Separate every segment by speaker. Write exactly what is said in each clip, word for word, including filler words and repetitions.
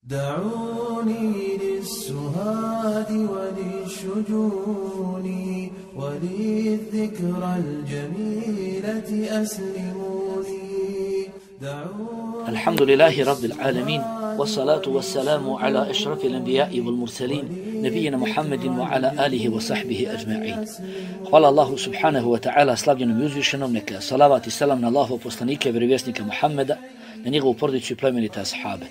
Speaker 1: دعوني للسهاد وللشجون وللذكرى الجميلة أسلموني.
Speaker 2: الحمد لله رب العالمين والصلاة والسلام على أشرف الأنبياء والمرسلين نبينا محمد وعلى آله وصحبه أجمعين. Hvala Allahu subhanahu wa ta'ala, slavljenom i uzvišenom, neka salavat i selam na Allahov poslanike, vjerovjesnika Muhammeda, na njegovu porodicu i plemenite ashabe.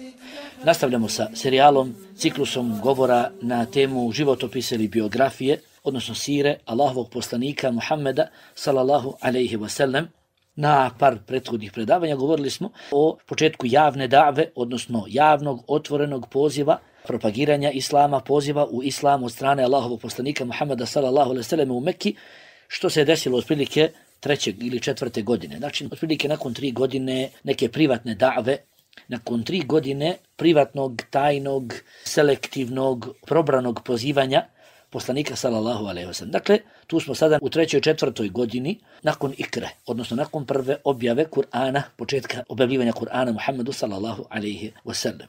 Speaker 2: Nastavljamo sa serijalom, ciklusom govora na temu životopisa ili biografije, odnosno sire Allahovog poslanika Muhammeda sallallahu alejhi ve sellem. Na par prethodnih predavanja govorili smo o početku javne da've, odnosno javnog otvorenog poziva, propagiranja islama, poziva u islam od strane Allahovog poslanika Muhammeda sallallahu alejhi ve sellem u Mekki, što se desilo otprilike treće ili četvrte godine. Znači, otprilike nakon tri godine neke privatne da've, nakon tri godine privatnog, tajnog, selektivnog, probranog pozivanja poslanika sallallahu alejhi ve sellem. Dakle, tu smo sada u trećoj četvrtoj godini nakon ikre, odnosno nakon prve objave Kur'ana, početka objavljivanja Kur'ana Muhammedu sallallahu alejhi ve sellem.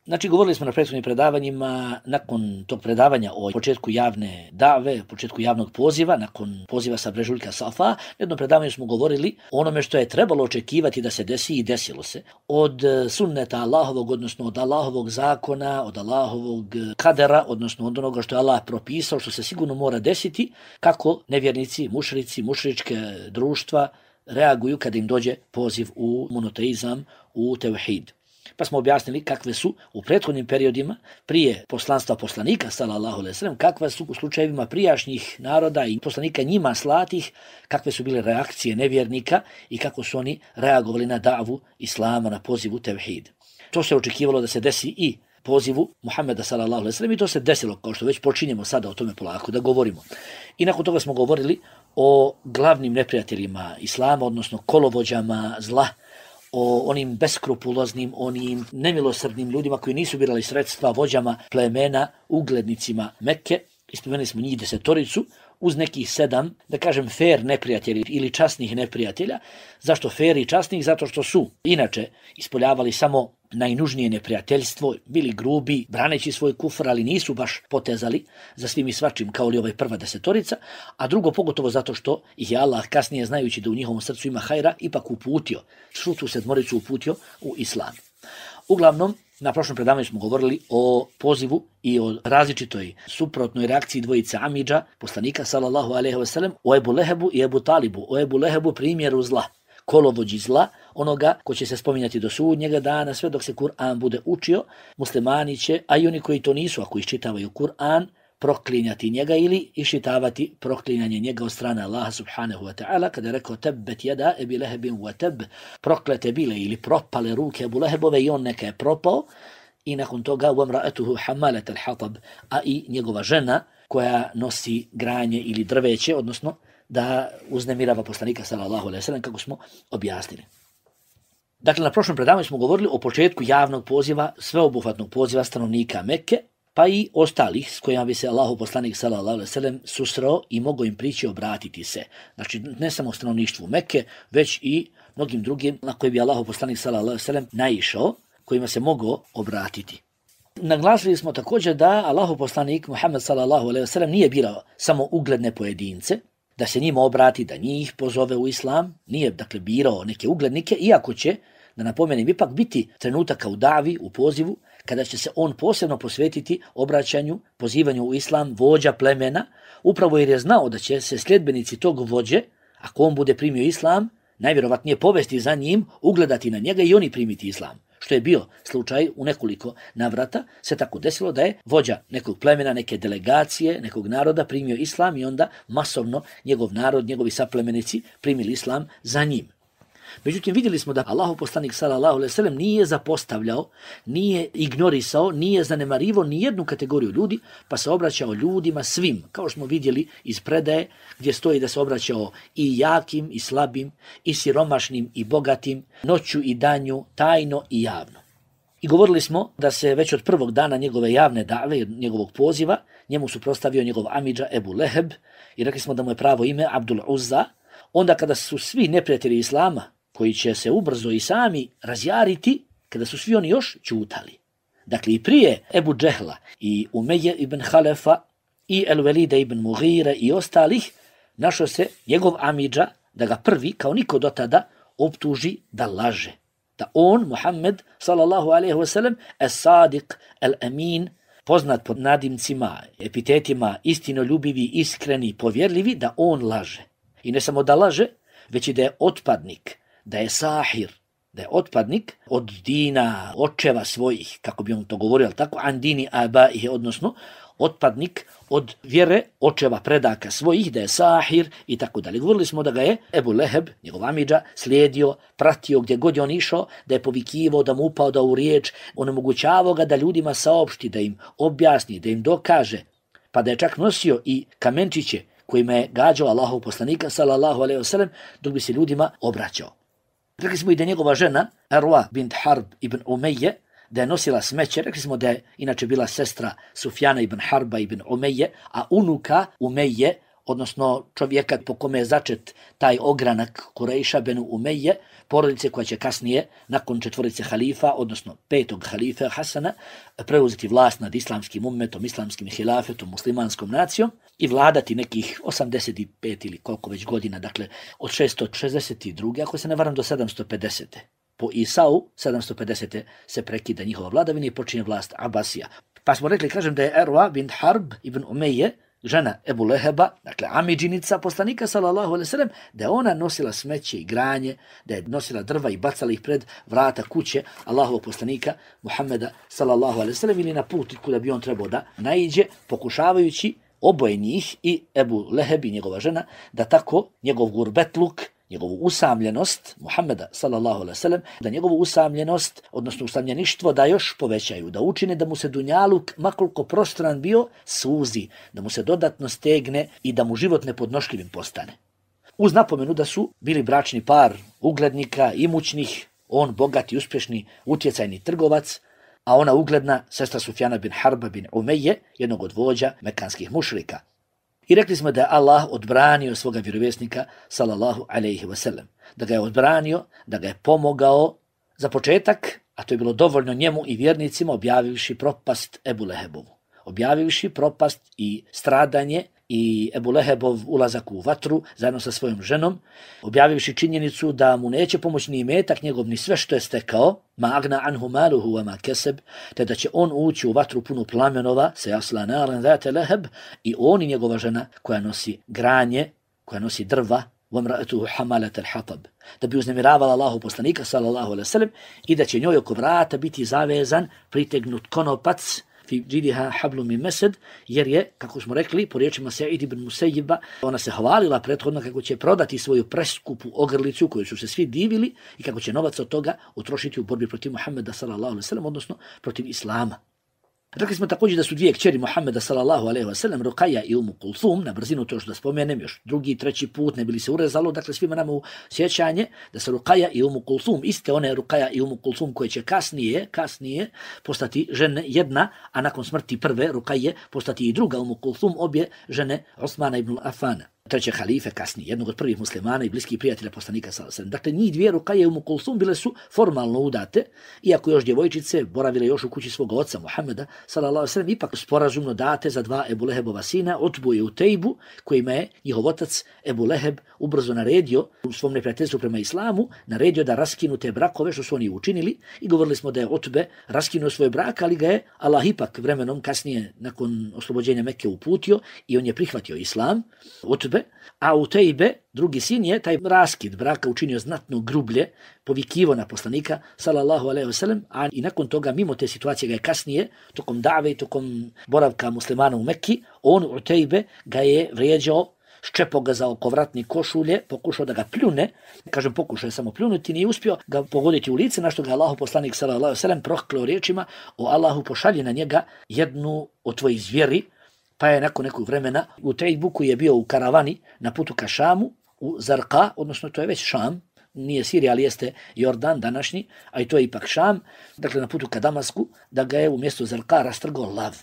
Speaker 2: Znači, govorili smo na prethodnim predavanjima, nakon tog predavanja o početku javne dave, početku javnog poziva, nakon poziva sa brežuljka Safa, na jednom predavanju smo govorili o onome što je trebalo očekivati da se desi i desilo se. Od sunneta Allahovog, odnosno od Allahovog zakona, od Allahovog kadera, odnosno od onoga što je Allah propisao, što se sigurno mora desiti, kako nevjernici, mušrici, mušričke društva reaguju kada im dođe poziv u monoteizam, u tevhid. Pa smo objasnili kakve su u prethodnim periodima prije poslanstva poslanika sallallahu alejhi ve sellem, kakve su u slučajevima prijašnjih naroda i poslanika njima slatih, kakve su bile reakcije nevjernika i kako su oni reagovali na davu islama, na pozivu tevhid. To se očekivalo da se desi i pozivu Muhammeda sallallahu alejhi ve sellem i to se desilo, kao što već počinjemo sada o tome polako da govorimo. I nakon toga smo govorili o glavnim neprijateljima islama, odnosno kolovođama zla, o onim beskrupuloznim, onim nemilosrdnim ljudima koji nisu birali sredstva, vođama plemena, uglednicima Mekke. Ispomenuli smo njih desetoricu, uz nekih sedam, da kažem, fair neprijatelji ili časnih neprijatelja. Zašto fair i časnih? Zato što su inače ispoljavali samo najnužnije neprijateljstvo, bili grubi, braneći svoj kufr, ali nisu baš potezali za svim i svačim kao li ovaj prva desetorica, a drugo pogotovo zato što ih je Allah kasnije, znajući da u njihovom srcu ima hajra, ipak uputio, svu tu sedmoricu uputio u islam. Uglavnom, na prošlom predavanju smo govorili o pozivu i o različitoj suprotnoj reakciji dvojice Amidža, poslanika sallallahu alejhi ve sellem, o Ebu Lehebu i Ebu Talibu. O Ebu Lehebu primjeru zla, kolovođi zla, onoga ko će se spominjati do sudnjega dana, sve dok se Kur'an bude učio, muslimani će, a i oni koji to nisu, ako iščitavaju Kur'an, proklinjati njega ili iščitavati proklinjanje njega od strane Allaha subhanahu wa ta'ala, kada je rekao tebbet jada Ebi Lehebin wa teb, proklete bile ili propale ruke Ebu Lehebove i on neka je propao, i nakon toga وَمْرَأَتُهُ حَمَّلَةَ الْحَطَبِ, a i njegova žena koja nosi granje ili drveće, odnosno da uznemirava poslanika sallallahu alejhi ve sellem, kako smo objasnili. Dakle, na prošlom predavanju smo govorili o početku javnog poziva, sveobuhvatnog poziva stanovnika Mekke, pa i ostalih s kojima bi se Allahu poslanik sallallahu alejhi ve sellem susreo i mogao im prići obratiti se. Znači, ne samo stanovništvu Mekke, već i mnogim drugim na koje bi Allahu poslanik sallallahu alejhi ve sellem naišao, kojima se mogao obratiti. Naglasili smo također da Allahu poslanik Muhammed sallallahu alejhi ve sellem nije birao samo ugledne pojedince, da se njima obrati, da njih pozove u islam, nije dakle birao neke uglednike, iako će, da napomenem, ipak biti trenutaka u davi, u pozivu, kada će se on posebno posvetiti obraćanju, pozivanju u islam vođa plemena, upravo jer je znao da će se sljedbenici tog vođe, ako on bude primio islam, najvjerovatnije povesti za njim, ugledati na njega i oni primiti islam. Što je bio slučaj u nekoliko navrata, se tako desilo da je vođa nekog plemena, neke delegacije, nekog naroda primio islam i onda masovno njegov narod, njegovi saplemenici primili islam za njim. Međutim, vidjeli smo da Allahu poslanik sallallahu alejhi ve sellem nije zapostavljao, nije ignorisao, nije zanemarivao ni jednu kategoriju ljudi, pa se obraćao ljudima svim, kao što smo vidjeli iz predaje gdje stoji da se obraćao i jakim i slabim, i siromašnim i bogatim, noću i danju, tajno i javno. I govorili smo da se već od prvog dana njegove javne dave, njegovog poziva, njemu suprotstavio njegov amidža Ebu Leheb i rekli smo da mu je pravo ime Abdul Uzza. Onda kada su svi neprijatelji islama, koji će se ubrzo i sami razjariti, kada su svi oni još ćutali. Dakle, i prije Ebu Džehla i Umeje ibn Halefa i El-Velida ibn Mughire i ostalih, našao se njegov amidža da ga prvi, kao niko do tada, optuži da laže. Da on, Muhammed, sallallahu alaihi wasallam, es-Sadiq, el-Amin, poznat pod nadimcima, epitetima istinoljubivi, iskreni, povjerljivi, da on laže. I ne samo da laže, već i da je otpadnik, da je sahir, da je otpadnik od dina očeva svojih, kako bi on to govorio, tako, an dini abaih, odnosno otpadnik od vjere očeva predaka svojih, da je sahir i tako dalje. Govorili smo da ga je Ebu Leheb, njegov amidža, slijedio, pratio gdje god je on išao, da je povikivao, da mu upao da u riječ, onemogućavao ga da ljudima saopšti, da im objasni, da im dokaže, pa da je čak nosio i kamenčiće kojima je gađao Allahov poslanika, sallallahu alejhi ve sellem, dok bi se ljudima obraćao. Rekli smo i da njegova žena, Arwa bint Harb ibn Umeje, da je nosila smeće. Rekli smo da je inače bila sestra Sufjana ibn Harba ibn Umeje, a unuka Umeje, odnosno čovjeka po kome je začet taj ogranak Kurejša benu Umeje, porodice koja će kasnije, nakon četvorice halifa, odnosno petog halife Hasana, preuzeti vlast nad islamskim ummetom, islamskim hilafetom, muslimanskom nacijom i vladati nekih osamdeset pet ili koliko već godina, dakle od šesto šezdeset druge ako se ne varam, do sedamsto pedesete Po Isau, sedamsto pedesete se prekida njihova vladavina i počinje vlast Abasija. Pa smo rekli, kažem, da je Arwa bint Harb ibn Umeje, žena Ebu Leheba, dakle amidžinica poslanika, sallallahu alejhi ve sellem, da je ona nosila smeće i granje, da je nosila drva i bacala ih pred vrata kuće Allahovog poslanika Muhammeda, sallallahu alejhi ve sellem, ili na put kuda bi on trebao da naiđe, pokušavajući oboje njih, i Ebu Leheb i njegova žena, da tako njegov gurbetluk, njegovu usamljenost Muhammeda, sallallahu alejhi ve sellem, da njegovu usamljenost, odnosno usamljeništvo, da još povećaju, da učine da mu se dunjaluk, makoliko prostran bio, suzi, da mu se dodatno stegne i da mu život nepodnošljivim postane. Uz napomenu da su bili bračni par uglednika, imućnih, on bogati, uspješni, utjecajni trgovac, a ona ugledna sestra Sufjana bin Harba bin Umeje, jednog od vođa mekanskih mušrika. I rekli smo da je Allah odbranio svoga vjerovjesnika, sallallahu alejhi ve sellem, da ga je odbranio, da ga je pomogao za početak, a to je bilo dovoljno njemu i vjernicima, objavivši propast Ebu Lehebovu. Objavivši propast i stradanje i Ebu Lehebov ulazak u vatru zajedno sa svojom ženom, objavivši činjenicu da mu neće pomoći ni imetak njegov, ni sve što je stekao, ma agna anhu maluhu wa ma keseb, te da će on ući u vatru punu plamenova, se jasla naran zate leheb, i on i njegova žena koja nosi granje, koja nosi drva, وَمْرَأَتُهُ حَمَالَةَ الْحَطَبِ, da bi uznemiravala Allahu poslanika, sallallahu alejhi ve sellem, i da će njoj oko vrata biti zavezan, pritegnut konopac, fi džidiha hablu min mesed, jer je, kako smo rekli, po riječima Sa'id ibn Musejjiba, ona se hvalila prethodno kako će prodati svoju preskupu ogrlicu koju su se svi divili i kako će novac od toga utrošiti u borbi protiv Muhammeda, sallallahu alejhi ve sellem, odnosno protiv Islama. Rekli smo također da su dvije kćeri Muhammeda, sallallahu alejhi ve sellem, Ruqayya i Umu Kulthum, na brzinu to što da spomenem još drugi, treći put, ne bili se urezalo, dakle svima nama u sjećanje da se Ruqayya i Umu Kulthum, iste one Ruqayya i Umu Kulthum koje će kasnije, kasnije postati žene jedna, a nakon smrti prve Ruqayye postati i druga Umu Kulthum, obje žene Osmana ibn Affana, treće halife kasnije, jednog od prvih muslimana i bliskih prijatelja poslanika, sallallahu alejhi ve sellem. Dakle, njih dvije, Ruqayya i Umu Kulthum, bile su formalno udate, iako još djevojčice boravile još u kući svog oca Muhammeda, sallallahu alejhi ve sellem, ipak sporazumno date za dva Ebu Lehebova sina, Utbu i Utejbu, kojima je njihov otac Ebu Leheb ubrzo naredio u svom neprijateljstvu prema islamu, naredio da raskinu te brakove, što su oni učinili, i govorili smo da je Utbe raskinuo svoj brak, ali ga je Allah ipak vremenom kasnije nakon oslobođenja Mekke uputio i on je prihvatio islam, Utbe, a Utejbe, drugi sin, je taj raskid braka učinio znatno grublje, povikivo na poslanika, sallallahu alejhi ve sellem, a i nakon toga, mimo te situacije, ga je kasnije, tokom dave i tokom boravka muslimana u Mekki, on, Utejbe, ga je vrijeđao, ščepao ga za oko vratni košulje, pokušao da ga pljune, kažem pokušao je samo pljunuti, nije uspio ga pogoditi u lice, na što ga Allahu poslanik, sallallahu alejhi ve sellem, prokleo riječima: o Allahu, pošalji na njega jednu od tvojih zvijeri. Pa je nakon nekog vremena u Tejbu, koji je bio u karavani na putu ka Šamu, u Zarqa, odnosno to je već Šam, nije Sirija, ali jeste Jordan današnji, a i to je ipak Šam, dakle na putu ka Damasku, da ga je u mjestu Zarqa rastrgao lav.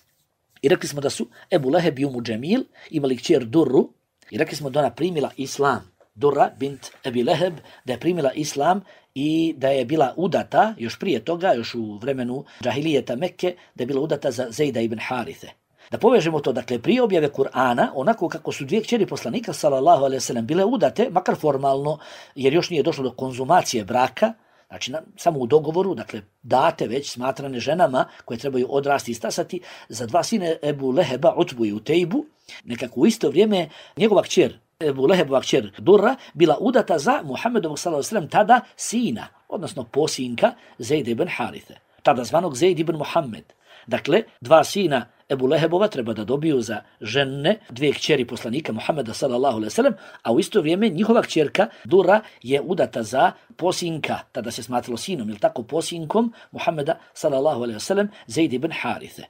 Speaker 2: I rekli smo da su Ebu Leheb i Umu Džemil imali kćer Durru, i rekli smo da ona primila islam. Durra bint Ebi Leheb, da je primila islam i da je bila udata, još prije toga, još u vremenu džahilijeta Mekke, da je bila udata za Zejda ibn Harithe. Da povežemo to, dakle, prije objave Kur'ana, onako kako su dvije kćeri poslanika, sallallahu alejhi ve sellem, bile udate, makar formalno, jer još nije došlo do konzumacije braka, znači na, samo u dogovoru, dakle, date već smatrane ženama koje trebaju odrasti i stasati, za dva sine Ebu Leheba, Utbu i Utejbu, nekako u isto vrijeme njegova kćer, Ebu Lehebova kćer Durra, bila udata za Muhammedovog sallallahu alejhi ve sellem tada sina, odnosno posinka Zejd ibn Harithe, tada zvanog Zejd ibn Muhammed. Dakle, dva sina Ebu Lehebova treba da dobiju za žene dvije kćeri poslanika Muhammeda sallallahu alejhi ve sellem, a u isto vrijeme njihova kćerka Durra je udata za posinka, tada se smatralo sinom, ili tako, posinkom Muhammeda sallallahu alejhi ve sellem, Zejd ibn Harithe.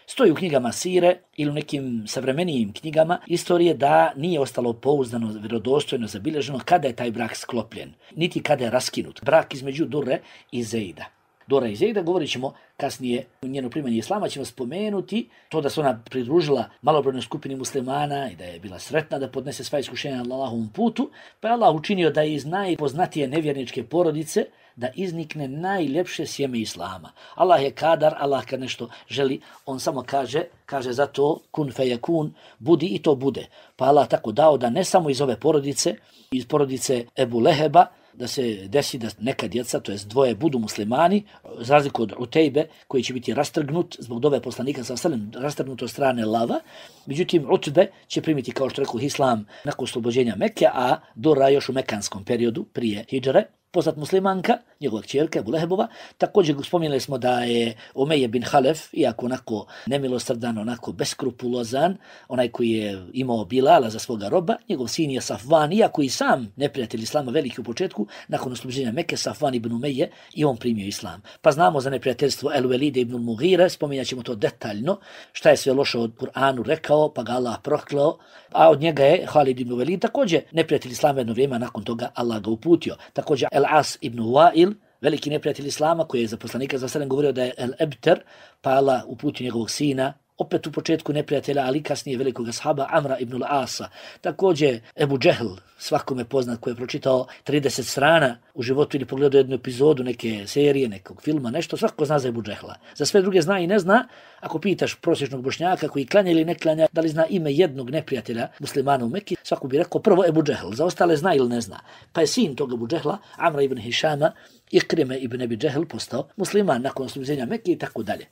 Speaker 2: Stoji u knjigama Sire ili u nekim savremenijim knjigama istorije da nije ostalo pouzdano, vjerodostojno zabilježeno kada je taj brak sklopljen, niti kada je raskinut. Brak između Durre i Zejda. Dora i Zejda, govorit ćemo kasnije u njeno primanje islama, ćemo spomenuti to da se ona pridružila malobrojnoj skupini muslimana i da je bila sretna da podnese sva iskušenja na Allahovom putu, pa je Allah učinio da iz najpoznatije nevjerničke porodice da iznikne najljepše sjeme islama. Allah je kadar, Allah kad nešto želi, on samo kaže, kaže za to kun fejekun, budi i to bude. Pa Allah tako dao da ne samo iz ove porodice, iz porodice Ebu Leheba, da se desi da neka djeca, to jest dvoje, budu muslimani, za razliku od Utejbe, koji će biti rastrgnut zbog dove poslanika sallallahu alejhi ve sellem, rastrgnut od strane lava. Međutim, Utbe će primiti, kao što rekao, islam nakon oslobođenja Mekke, a Dora još u mekanskom periodu prije hidžre. Poznat muslimanka, njegova kćerka Ebu Lehebova. Također spomenuli smo da je Umeje bin Halef, iako onako nemilosrdan, onako beskrupulozan, onaj koji je imao Bilala za svoga roba, njegov sin je Safvan, iako i sam neprijatelj islama veliki u početku, nakon oslobođenja Mekke, Safvan ibn Umeje, i on primio islam. Pa znamo za neprijateljstvo El Velide ibn Mughire, spominjat ćemo to detaljno, šta je sve loše od Kur'anu rekao, pa ga Allah proklao, a od njega je Halid ibn Velid, također neprijatelj islama jedno vrijeme, nakon toga Allah ga uputio. Također El As ibn Wa'il, veliki neprijatelj islama, koji je za poslanika za sallam govorio da je El Ebter, pa Allah uputio njegovog sina, opet u početku neprijatelja, ali kasnije velikog ashaba Amra ibn al-Asa. Također Ebu Džehl, svakome poznat, koji je pročitao trideset strana u životu ili pogledao jednu epizodu neke serije, nekog filma, nešto, svako zna za Ebu Džehla. Za sve druge zna i ne zna. Ako pitaš prosječnog Bošnjaka koji klanja ili ne klanja, da li zna ime jednog neprijatelja muslimana u Mekki, svako bi rekao prvo Ebu Džehl, za ostale zna ili ne zna. Pa je sin tog Ebu Džehla, Amra ibn Hišama, Ikrime ibn Ebi Džehl, postao musliman nakon oslobođenja Mekke i tako dalje.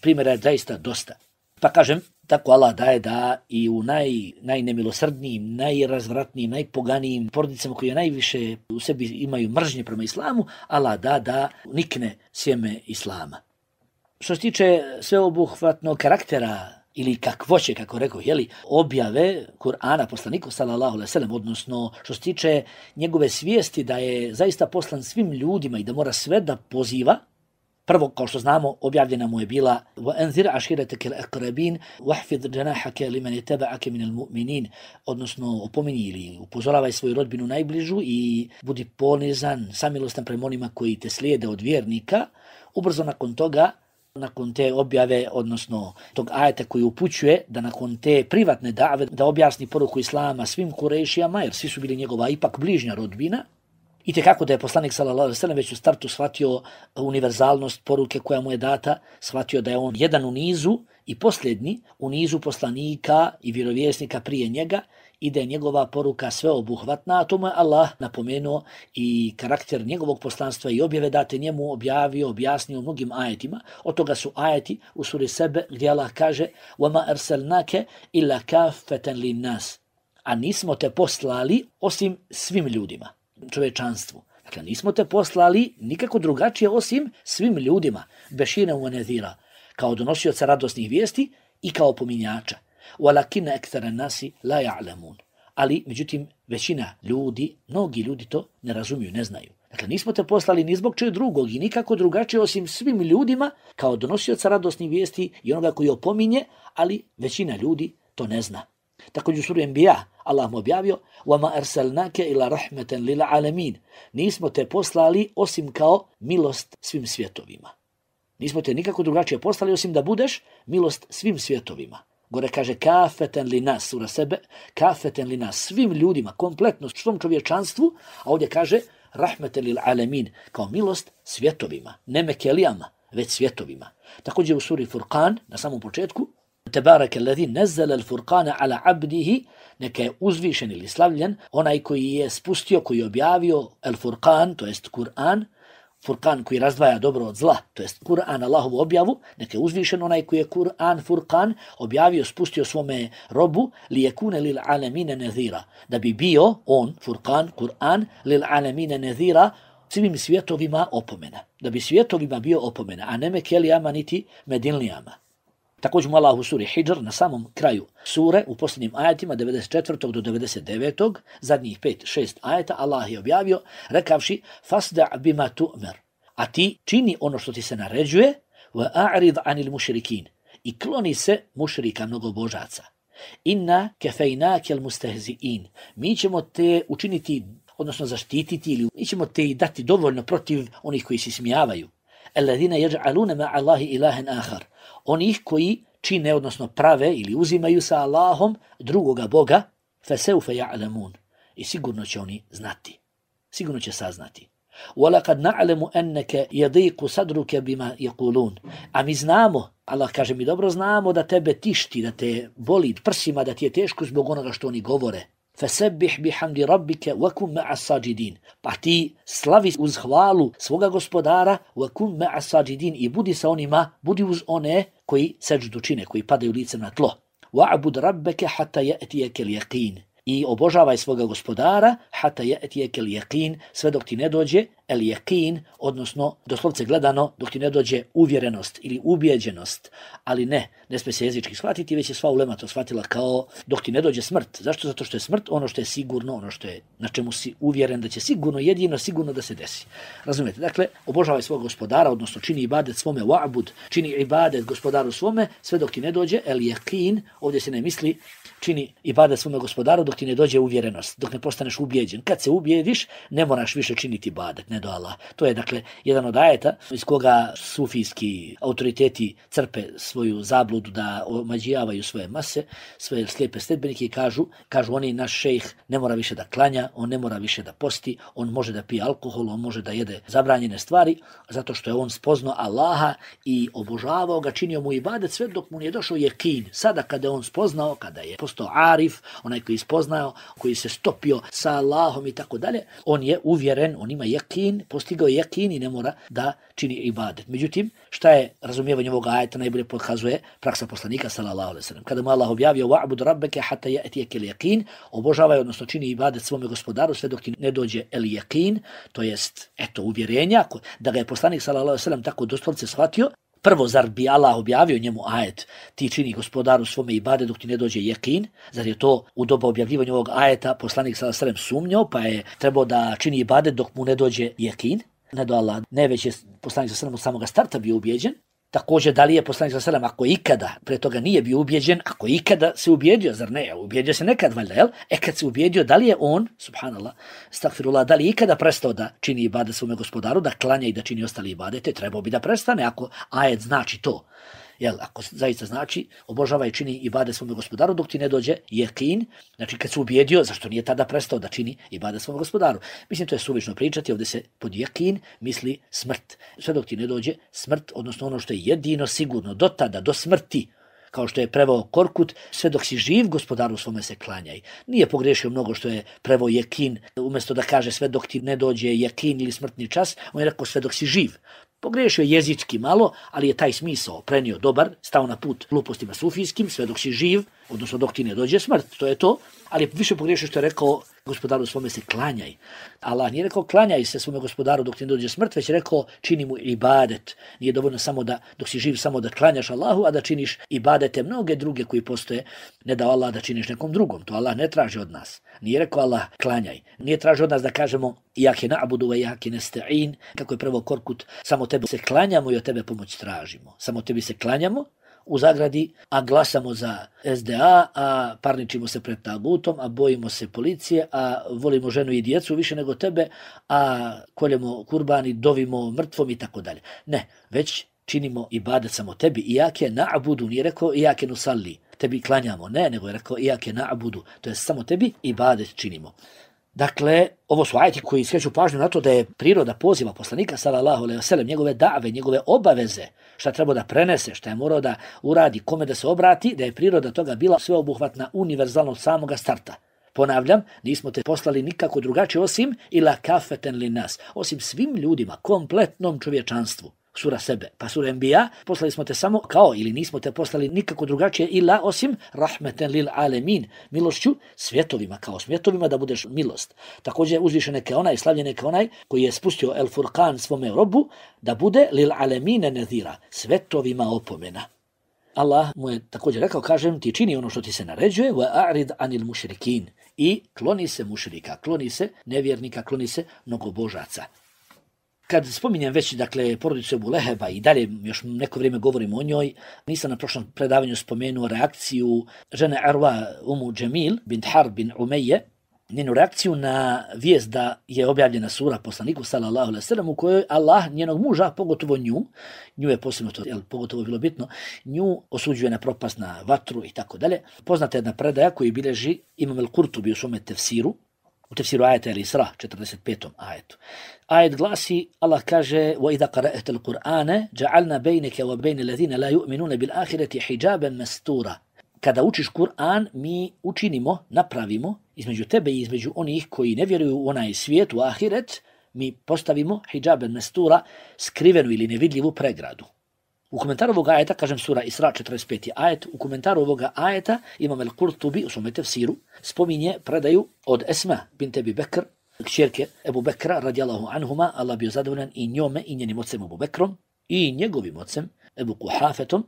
Speaker 2: Primjera je zaista dosta. Pa kažem, tako Allah daje da i u naj, najnemilosrdnijim, najrazvratnijim, najpoganijim porodicama koje najviše u sebi imaju mržnje prema islamu, Allah da da nikne sjeme islama. Što se tiče sveobuhvatnog karaktera ili kakvoće, kako rekao, jeli, objave Kur'ana poslaniku sallallahu alejhi ve sellem, odnosno što se tiče njegove svijesti da je zaista poslan svim ljudima i da mora sve da poziva. Prvo, kao što znamo, objavljena mu je bila وَأَنذِرْ عَشِيرَتَكَ الْأَقْرَبِينَ وَحْفِظْ جَنَاحَكَ لِمَنِ يَتَّبَعَكَ مِنَ الْمُؤْمِنِينَ, odnosno opominji ili upozoravaj svoju rodbinu najbližu i budi ponizan, samilostan prema onima koji te slijede od vjernika. Ubrzo nakon toga, nakon te objave, odnosno tog ajeta koji upućuje da nakon te privatne dave da objasni poruku islama svim Kurejšijama, jer svi su bili njegova ipak bližnja rodbina. I tekako da je poslanik sallallahu alejhi ve sellem već u startu shvatio univerzalnost poruke koja mu je data, shvatio da je on jedan u nizu i posljednji u nizu poslanika i vjerovjesnika prije njega i da je njegova poruka sveobuhvatna, a tomu je Allah napomenuo i karakter njegovog poslanstva i objave date njemu objavio, objasnio mnogim ajetima. Od toga su ajeti u suri Sebe gdje Allah kaže وَمَا أَرْسَلْنَاكَ إِلَّا كَافَّةً لِلنَّاسِ, a nismo te poslali osim svim ljudima, čovečanstvu. Dakle, nismo te poslali nikako drugačije osim svim ljudima, bešina u nedhira, kao donosioca radosnih vijesti i kao opominjača. وَلَكِنَّ أَكْثَرَ النَّاسِ لَا يَعْلَمُونَ, ali, međutim, većina ljudi, mnogi ljudi to ne razumiju, ne znaju. Dakle, nismo te poslali ni zbog čeg drugog i nikako drugačije osim svim ljudima, kao donosioca radosnih vijesti i onoga koji opominje, ali većina ljudi to ne zna. Također u suri Enbiya Allah mu objavio وَمَا أَرْسَلْنَاكَ إِلَّا رَحْمَةً لِلْعَالَمِينَ, nismo te poslali osim kao milost svim svjetovima. Nismo te nikako drugačije poslali osim da budeš milost svim svjetovima. Gore kaže kafeten li nas, sura sebe, kafeten li nas, svim ljudima, kompletno, svom čovječanstvu, a ovdje kaže rahmeten lil alemin, kao milost svjetovima, ne mekelijama, već svjetovima. Također u suri Furqan, na samom početku, Tebareke alladhi nazzala al-furqana ala abdihi, neka je uzvišen ili slavljen, onaj koji je spustio, koji je objavio al-Furqan, to jest Kur'an, Furqan koji razdvaja dobro od zla, to jest Kur'an, Allahovu objavu, neka je uzvišen onaj koji je Kur'an, Furqan, objavio, spustio svome robu, li yakuna lil alamina nadhira, da bi bio on, Furqan, Kur'an, lil alamina nadhira, svim svjetovima opomena, da bi svjetovima bio opomena, a ne mekelijama niti medilnijama. Također mu Allah u suri Hidr na samom kraju sure, u posljednjim ajetima devedeset četvrtog do devedeset devetog zadnjih pet šest ajeta, Allah je objavio rekavši fasda' bima tu'mer, a ti čini ono što ti se naređuje, wa a'rid anil mušrikin, i kloni se mušrika mnogobožaca. Inna kefejnake al mustehzi'in, mi ćemo te učiniti, odnosno zaštititi, ili mi ćemo te dati dovoljno protiv onih koji se smijavaju. Alladhina yaj'aluna ma'a Allahi ilahan akhar, onih koji čine, odnosno prave ili uzimaju sa Allahom drugoga Boga, fasawfa ya'lamun, i sigurno će oni znati, sigurno će saznati. وَلَقَدْ نَعْلَمُ أَنَّكَ يَضِيقُ صَدْرُكَ بِمَا يَقُولُونَ, a mi znamo, Allah kaže mi dobro znamo da tebe tišti, da te boli prsima, da ti je teško zbog onoga što oni govore. فَسَبِّحْ بِحَمْدِ رَبِّكَ وَكُنْ مَعَ السَّاجِدِينَ, pa ti slavi uz hvalu svoga gospodara, وَكُنْ مَعَ السَّاجِدِينَ, i budi sa onima, budi uz one koji seđdu čine, koji padaju licem na tlo. وَعْبُدْ رَبَّكَ حَتَّى يَأْتِيَكَ الْيَقِينَ, i obožavaj svoga gospodara, hata ya'tiyaka al-yaqin, sve dok ti ne dođe al-yaqin, odnosno doslovce gledano dok ti ne dođe uvjerenost ili ubijeđenost, ali ne, ne smije se jezički shvatiti, već je sva ulema to shvatila kao dok ti ne dođe smrt. Zašto? Zato što je smrt ono što je sigurno, ono što je na čemu si uvjeren da će sigurno, jedino sigurno da se desi. Razumijete? Dakle, obožavaj svog gospodara, odnosno čini ibadet svome, wa'bud, čini ibadet gospodaru svome, sve dok ti ne dođe al-yaqin, ovdje se ne misli čini ibadet svome gospodaru dok ti ne dođe uvjerenost, dok ne postaneš ubijeđen. Kad se ubijediš, ne moraš više činiti ibadet, ne do Allah. To je dakle jedan od ajeta iz koga sufijski autoriteti crpe svoju zabludu da omađijavaju svoje mase, svoje slijepe sledbenike i kažu, kažu oni naš šejh ne mora više da klanja, on ne mora više da posti, on može da pije alkohol, on može da jede zabranjene stvari, zato što je on spoznao Allaha i obožavao ga, činio mu ibadet sve dok mu nije došao jekin. Sada kada je on spoznao, kada je postao arif, onaj koji je spoznao, koji se stopio sa Allahom i tako dalje, on je uvjeren, on ima jekin, postigao je jekin i ne mora da čini ibadet. Međutim, šta je razumijevanje ovog ajeta najbolje pokazuje praksa poslanika sallallahu alejhi ve sellem. Kada mu Allah objavio wa'bud rabbaka hatta ya'tiyaka al-yaqin, obožavaj, odnosno čini ibadet svome gospodaru sve dok ti ne dođe el-yaqin, to jest eto uvjerenja, da ga je poslanik sallallahu alejhi ve sellem tako doslovce shvatio. Prvo, zar bi Allah objavio njemu ajet, ti čini gospodaru svome ibadet dok ti ne dođe jekin? Zar je to u doba objavljivanja ovog ajeta poslanik sallallahu alejhi ve sellem sumnjao, pa je trebao da čini ibadet dok mu ne dođe jekin? Ne do Allah, ne, već je poslanik sallallahu alejhi ve sellem od samoga starta bio ubijeđen. Također, da li je poslanik sallallahu alejhi ve sellem, ako ikada pre toga nije bio ubijeđen, ako ikada se ubijedio, zar ne? Ubijedio se nekad, valjda, jel? E kad se ubijedio, da li je on, subhanallah, stakfirullah, da li je ikada prestao da čini ibadet svome gospodaru, da klanja i da čini ostali ibadete? Trebao bi da prestane, ako ajet znači to. Jel, ako zaista znači, obožava i čini ibadet svome gospodaru dok ti ne dođe jekin, znači kad se ubijedio, zašto nije tada prestao da čini ibadet svome gospodaru? Mislim, to je suvišno pričati, ovdje se pod jekin misli smrt. Sve dok ti ne dođe smrt, odnosno ono što je jedino sigurno, do tada, do smrti, kao što je preveo Korkut, sve dok si živ, gospodaru svome se klanjaj. Nije pogriješio mnogo što je preveo jekin, umjesto da kaže sve dok ti ne dođe jekin ili smrtni čas, on je rekao sve dok si živ. Pogriješio jezički malo, ali je taj smisao prenio dobar, stao na put glupostima sufijskim, sve dok si živ, odnosno dok ti ne dođe smrt, to je to, ali više pogriješio što je rekao gospodaru svome se klanjaj. Allah nije rekao klanjaj se svome gospodaru dok ti ne dođe smrt, već je rekao čini mu ibadet. Nije dovoljno samo da, dok si živ, samo da klanjaš Allahu, a da činiš ibadete mnoge druge koji postoje, ne da Allah da činiš nekom drugom. To Allah ne traži od nas. Nije rekao Allah klanjaj. Nije traži od nas da kažemo iyyake na'budu wa iyyake nasta'in, kako je prvo Korkut, samo tebe se klanjamo i od tebe pomoć tražimo. Samo tebi se klanjamo, u zagradi, a glasamo za S D A, a parničimo se pred tagutom, a bojimo se policije, a volimo ženu i djecu više nego tebe, a koljemo kurban i dovimo mrtvom i tako dalje. Ne, već činimo ibadet samo tebi, ijake na'budu, nije rekao ijake nusalli, tebi klanjamo, ne, nego je rekao ijake na'budu, to je samo tebi ibadet činimo. Dakle, ovo su ajeti koji skreću pažnju na to da je priroda poziva poslanika sallallahu alejhi ve sellem, njegove dave, njegove obaveze, šta treba da prenese, šta je morao da uradi, kome da se obrati, da je priroda toga bila sveobuhvatna, univerzalna od samoga starta. Ponavljam, nismo te poslali nikako drugačije osim ila kafeten li nas, osim svim ljudima, kompletnom čovječanstvu. Sura Sebe, pa sura Enbija, poslali smo te samo kao, ili nismo te poslali nikako drugačije ila osim rahmeten lil alemin, milošću svjetovima, kao svjetovima da budeš milost. Također uzvišen neka onaj, slavljen neka onaj koji je spustio El Furqan svome robu da bude lil alemine nezira, svetovima opomena. Allah mu je također rekao, kažem ti čini ono što ti se naređuje, wa a'rid anil mušrikin, i kloni se mušrika, kloni se nevjernika, kloni se mnogobožaca. Kad spominjem već, dakle, porodicu Ebu Leheba i dalje još neko vrijeme govorim o njoj, nisam na prošlom predavanju spomenuo reakciju žene Arwa Umu Džemil bint Harb bin Umeje, njenu reakciju na vijest da je objavljena sura poslaniku sallallahu alejhi ve sellem u kojoj Allah njenog muža, pogotovo nju, nju je posebno to, jel, pogotovo bilo bitno, nju osuđuje na propast, na vatru i tako dalje. Poznata je jedna predaja koju bilježi Imam el-Kurtubi u svome tefsiru, u tefsiru ajeta el-Isra, četrdeset petom ajetu. Ajet glasi, Allah kaže: وَإِذَا قَرَأْتَ الْقُرْآنَ جَعَلْنَا بَيْنَكَ وَبَيْنَ الَّذِينَ لَا يُؤْمِنُونَ بِالْآخِرَةِ حِجَابًا مَسْتُورًا. Kada učiš Kur'an, mi učinimo, napravimo između tebe i između onih koji ne vjeruju u onaj svijet, u ahiret, mi postavimo hidžaben mestura, skrivenu ili nevidljivu pregradu. U komentaru ovoga ajeta, kažem sura Isra četrdeset peti ajet, u komentaru ovoga ajeta Imam el-Kurtubi u svome tefsiru spominje predaju od Esma bint Ebi Bekr, kćerke Ebu Bekra radijallahu anhuma, Allah bio zadovoljan i njome i njenim ocem Ebu Bekrom i njegovim ocem Ebu Kuhafetom.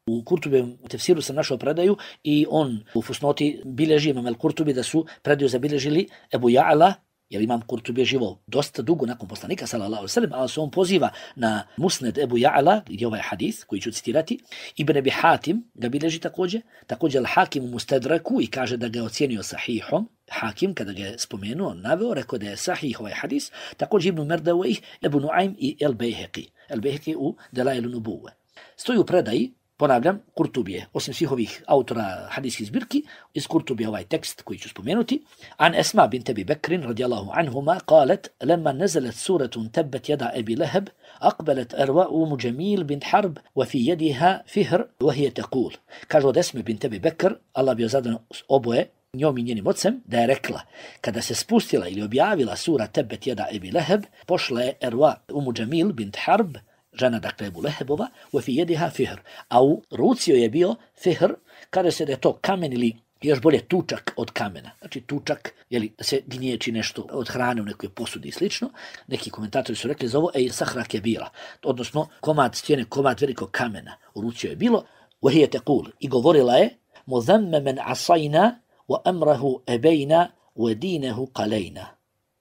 Speaker 2: U Kurtubijem tefsiru sam našao predaju i on u fusnoti bilježi, Imam el-Kurtubi, da su predaju zabilježili Ebu Ja'la, jer Imam Kurtubi je živo dosta dugo nakon poslanika sallallahu alejhi ve sellem, ali se on poziva na Musned Ebu Ja'la, gdje je ovaj hadis koji ću citirati. Ibn Abi Hatim ga bilježi također, također Al-Hakim u Mustadraku i kaže da ga je ocijenio sahihom. Hakim, kada ga je spomenuo, naveo, rekao da je sahih ovaj hadis. Također Ibn Merdawih, Ebu Nuaym i El-Bejheqi. El-Bejheqi u Delailu Nubuve. Stoji u predaji, ponavljam, Kurtubije, osim svih ovih autora hadijskih zbirki, iz Kurtubije ovaj tekst koji ću spomenuti. An Esma bint Ebi Bekrin radijallahu anhuma qalet, lemma nezelet suratun tebet jada Ebi Leheb, aqbelet Arwa Umu Džemil bint Harb, wa fi jediha fihr, wa hije tequl. Kaže od Esme bint Ebi Bekr, Allah bio zadan oboje, njom i njenim ocem, da je rekla, kada se spustila ili objavila sura tebet jada Ebi Leheb, pošla je Arwa Umu Džemil bint Harb, žena dakle Ebu Lehebova, u fi jediha fihr, a u ruci je bio fihr, kada se da je to kamen ili još bolje tučak od kamena. Znači tučak, jeli, da se gnječi nešto od hrane u nekoj posudi i slično. Neki komentatori su rekli za ovo, ej, sahra kebira, odnosno komad stijene, komad velikog kamena. U ruci je bilo, u hije tequl, i govorila je, muzemme men asajna, wa amrahu ebejna, wa dinehu qalejna.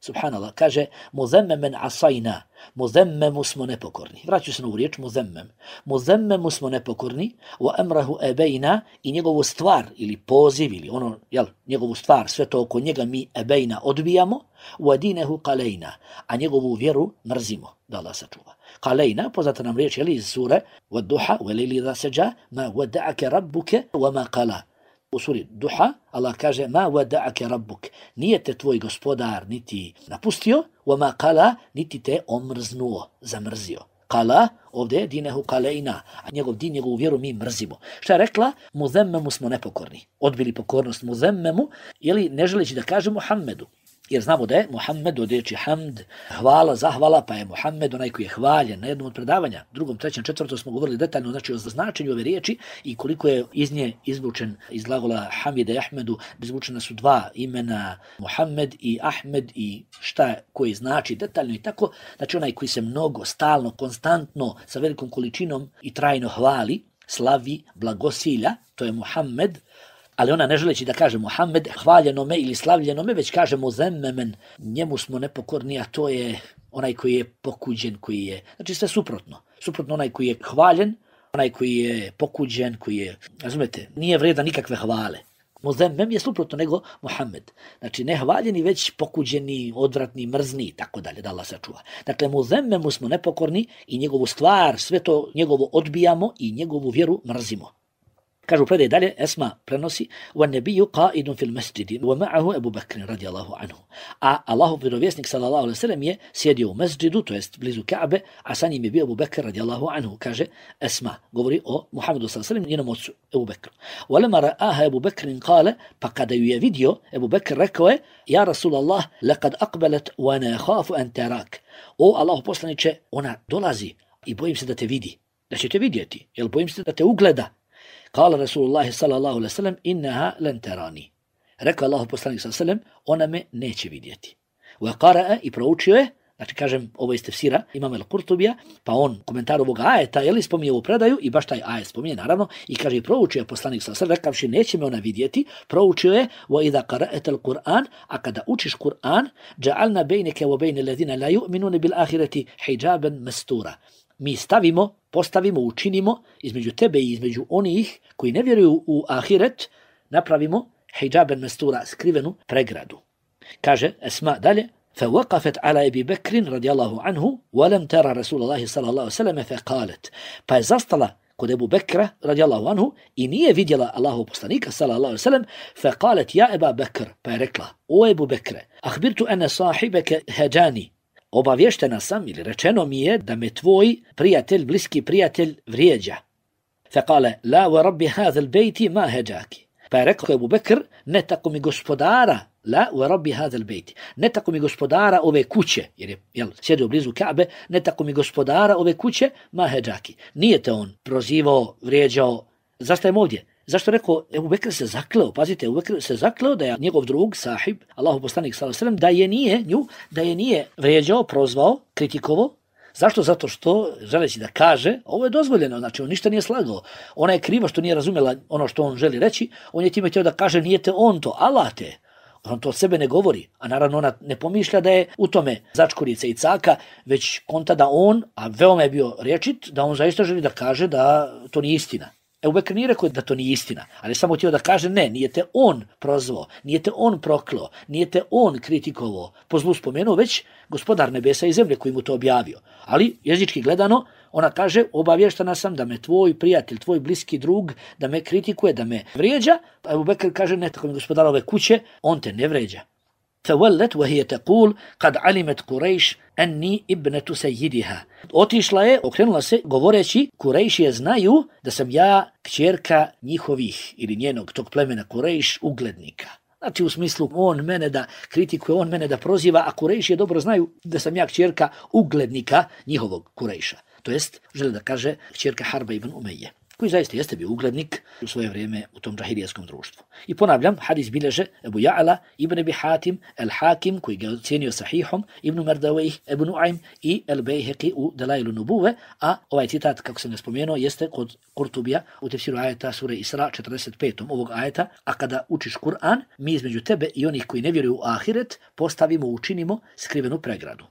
Speaker 2: Subhanallah, kaže, muzemmemen asajna, muzemmemu smo nepokorni. Vraću se na ovu riječ, muzemmem. Muzemmemu smo nepokorni, wa emrahu ebejna, i njegovu stvar, ili poziv, ili ono, jel, njegovu stvar, sve to oko njega mi ebejna odbijamo, wa dinehu qalejna, a njegovu vjeru mrzimo, da Allah sačuva. Qalejna, poznata nam riječ, jel, iz sure, wa duha, wa lejli idha seđa, ma wada'ake rabbuke, wa ma qala. U suri Duha Allah kaže ma wada'ake rabbuk, nije te tvoj gospodar niti napustio, wa ma qala, niti te omrznuo, zamrzio. Qala, ovdje je dinehu qalejna, a njegov din, njegovu vjeru mi mrzimo. Šta je rekla? Muzemmemu smo nepokorni. Odbili pokornost muzemmemu, jeli ne želeći da kaže Muhammedu. Jer znamo da je Muhammed od riječi hamd, hvala, zahvala, pa je Muhammed onaj koji je hvaljen. Na jednom od predavanja, drugom, trećem, četvrtom smo govorili detaljno, znači o značenju ove riječi i koliko je iz nje izvučen iz glagola Hamide i Ahmedu, izvučena su dva imena, Muhammed i Ahmed, i šta koji znači detaljno i tako. Znači onaj koji se mnogo, stalno, konstantno, sa velikom količinom i trajno hvali, slavi, blagosilja, to je Muhammed. Ali ona ne želeći da kaže Muhammed hvaljenome ili slavljenome, već kaže muzemmemen, njemu smo nepokorni, a to je onaj koji je pokuđen, koji je, znači sve suprotno. Suprotno onaj koji je hvaljen, onaj koji je pokuđen, koji je, razumete, nije vredan nikakve hvale. Muzemmem je suprotno nego Muhammed. Znači ne hvaljeni, već pokuđeni, odvratni, mrzni i tako dalje, da Allah sačuva. Dakle, muzemmemu smo nepokorni i njegovu stvar, sve to njegovo odbijamo i njegovu vjeru mrzimo. Kažu predaj dalje, Esma prenosi, وَالنَّبِيُّ قَائِدٌ فِي الْمَسْجِدِ وَمَعَهُ أَبُو بَكْرٍ رَضِيَ اللَّهُ عَنْهُ. A Allahov vjerovjesnik sallallahu alejhi ve sellem je sjedio u mesdžidu, to jest blizu Ka'be, a sa njim je bio Abu Bekr radijallahu anhu. Kaže Esma, govori o Muhammedu sallallahu alejhi ve sellem, njenom ocu Abu Bekru. وَلَمَا رَآهَا أَبُو بَكْرٍ قَالَ, pa kada ju je vidio, Abu Bekr rekao je, ja Rasulallah, لَقَدْ أَقْبَلَتْ وَأَنَا خَافُ أَنْ تَرَاكَ. O Allahov poslanice, ona dolazi i bojim se da te vidi, da će te vidjeti, jer bojim se da te ugleda. Kala Rasulullah sallallahu alejhi ve sellem, innaha lan tarani. Rekao Allahu poslanik sallallahu alejhi ve sellem, ona me neće vidjeti. Wa qara'a, i proučio je, znači kažem ovo iz tefsira Imam al-Qurtubija, pa on komentar ovog ajeta je li spominje u predaju i baš taj ajet spominje naravno i kaže i proučio je poslanik sallallahu alejhi ve sellem, rekavši neće me ona vidjeti, proučio je wa idha qara'ta al-Qur'an, a kada učiš Kur'an, ja'alna baynaka wa bayna alladhina la yu'minuna bil akhirati hijaban mastura. Mi stavimo, postavimo, učinimo između tebe i između onih koji ne vjeruju u ahiret, napravimo hijaben mestura, skrivenu pregradu. Kaže Esma dalje, فَوَقَفَتْ عَلَى أَبِي بَكْرٍ رَضِيَ اللَّهُ عَنْهُ وَلَمْ تَرَى رَسُولَ اللَّهِ صَلَى اللَّهُ عَلَيْهِ وَسَلَّمَ فَقَالَتْ. Pa je zastala kod Ebu Bekra radijallahu anhu i nije vidjela Allahov poslanika sallallahu alejhi ve sellem, فَقَالَتْ يَا أَبَا بَكْرَ, pa je rekla, o Ebu Bekre, أَخْبِرْتُ أَنَّ صَاحِبَكَ هَجَانِ. Obavještena sam ili rečeno mi je da me tvoj prijatelj, bliski prijatelj vrijeđa. Fekale, la wa rabbi hadha al-bejti ma heđaki. Pa je rekao Ebu Bekr, ne tako mi gospodara, la wa rabbi hadha al-bejti, ne tako mi gospodara ove kuće, jer je jel, sjedio blizu Ka'be, ne tako mi gospodara ove kuće, ma heđaki. Nije te on prozivao, vrijeđao, zastajem ovdje. Zašto rekao, Ebu Bekr se zakleo, pazite, Ebu Bekr se zakleo da je njegov drug, sahib, Allahov poslanik sallallahu alejhi ve sellem, da je nije nju, da je nije vrijeđao, prozvao, kritikovao. Zašto? Zato što, želeći da kaže, ovo je dozvoljeno, znači on ništa nije slagao. Ona je kriva što nije razumjela ono što on želi reći, on je time htio da kaže, nije te on to, Allah te. On to od sebe ne govori, a naravno ona ne pomišlja da je u tome začkurica i caka, već konta da on, a veoma je bio rječit, da on zaista želi da kaže da to nije istina. Ebu Bekr nije rekao da to nije istina, ali samo htio da kaže ne, nije te on prozvao, nije te on proklao, nije te on kritikovao, po zlu spomenuo, već gospodar nebesa i zemlje koji mu to objavio. Ali jezički gledano, ona kaže, obavještena sam da me tvoj prijatelj, tvoj bliski drug, da me kritikuje, da me vrijeđa, a Ebu Bekr kaže, ne, tako mi gospodar ove kuće, on te ne vrijeđa. فَوَلَّتْ وَهِيَ تَقُولُ قَدْ عَلِمَتْ قُرَيْشْ أَنِّي إِبْنَةُ سَيِّدِهَا. Otišla je, okrenula se, govoreći, Kurejšije znaju da sam ja kćerka njihovih, ili njenog tog plemena Kurejš, uglednika. Znači u smislu, on mene da kritikuje, on mene da proziva, a Kurejšije dobro znaju da sam ja kćerka uglednika njihovog Kurejša. To jest, želi da kaže, kćerka Harba ibn Umeje, koji zaista jeste bio uglednik u svoje vrijeme u tom džahilijeskom društvu. I ponavljam, hadis bilježe Ebu Ja'ala, Ibn Abi Hatim, El-Hakim, koji ga je ocjenio sahihom, Ibn Mardawejh, Ebu Nu'aym i El-Bejheqi u Delailu Nubuve, a ovaj citat, kako sam ne spomenuo, jeste kod Kurtubija u tefsiru ajeta sure Isra četrdeset pet ovog ajeta, a kada učiš Kur'an, mi između tebe i onih koji ne vjeruju u ahiret postavimo, učinimo skrivenu pregradu.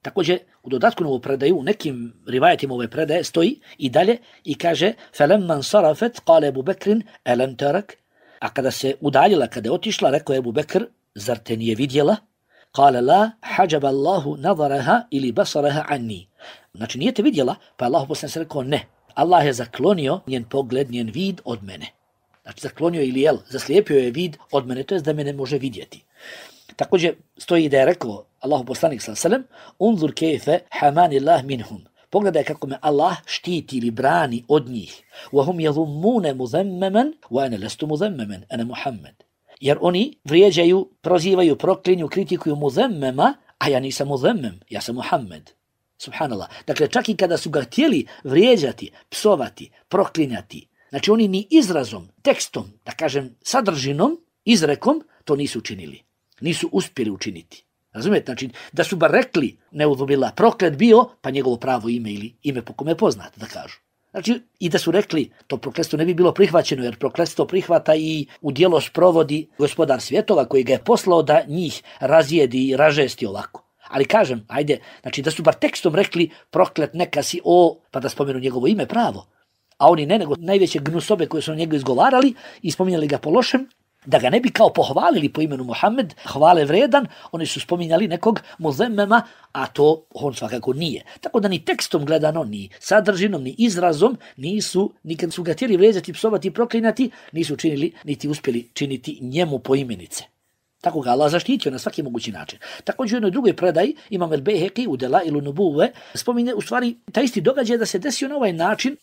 Speaker 2: Također, u dodatku na ovu predaju, u nekim rivajetima ove predaje stoji i dalje i kaže فَلَمَّنْ صَرَفَتْ قَالَ أَبُو بَكْرٍ أَلَمْ تَرَكْ. A kada se udaljila, kada je otišla, rekao je Ebu Bekr, zar te nije vidjela? قَالَ لَا حَجَبَ اللَّهُ نَظَرَهَا ili بَصَرَهَا عَنِّي. Znači nije te vidjela, pa je Allah poslanik rekao ne. Allah je zaklonio njen pogled, njen vid od mene. Znači zaklonio ili jel, zaslijepio je vid od mene, to je da me ne može vidjeti. Također stoji da je rekao Allahu poslanik sallallahu alejhi ve sellem, unzur kejfe hamanillah minhum. Pogledaj kako me Allah štiti ili brani od njih. Wa hum yadhummuna muzammaman wa ana lastu muzammaman, ana Muhammed. Jer oni vrijeđaju, prozivaju, proklinju, kritikuju muzammama, a ja nisam muzammam, ja sam Muhammed. Subhanallah. Dakle, čak i kada su ga htjeli vrijeđati, psovati, proklinjati, znači oni ni izrazom, tekstom, da kažem sadržinom, izrekom, to nisu učinili. Nisu uspjeli učiniti. Razumijete? Znači, da su bar rekli, neudhubila, proklet bio, pa njegovo pravo ime ili ime po kome je poznato, da kažu. Znači, i da su rekli, to prokletstvo ne bi bilo prihvaćeno, jer prokletstvo prihvata i u djelo sprovodi gospodar svjetova koji ga je poslao da njih razjedi i ražesti ovako. Ali kažem, ajde, znači da su bar tekstom rekli, proklet neka si o, pa da spomenu njegovo ime pravo. A oni ne, nego najveće gnusobe koje su na njega izgovarali i spominjali ga po lošem, Da ga ne bi kao pohvalili po imenu Muhammed, hvale vredan, oni su spominjali nekog muzemmema, a to on svakako nije. Tako da ni tekstom gledano, ni sadržinom, ni izrazom nisu, nikad su ga htjeli vrijeđati, psovati, proklinati, nisu činili, niti uspjeli činiti njemu poimenice. Tako ga Allah zaštitio na svaki mogući način. Također u jednoj drugoj predaji Imam el-Bejheki u Delailu Nubuve spominje u stvari taj isti događaj da se desio na ovaj način,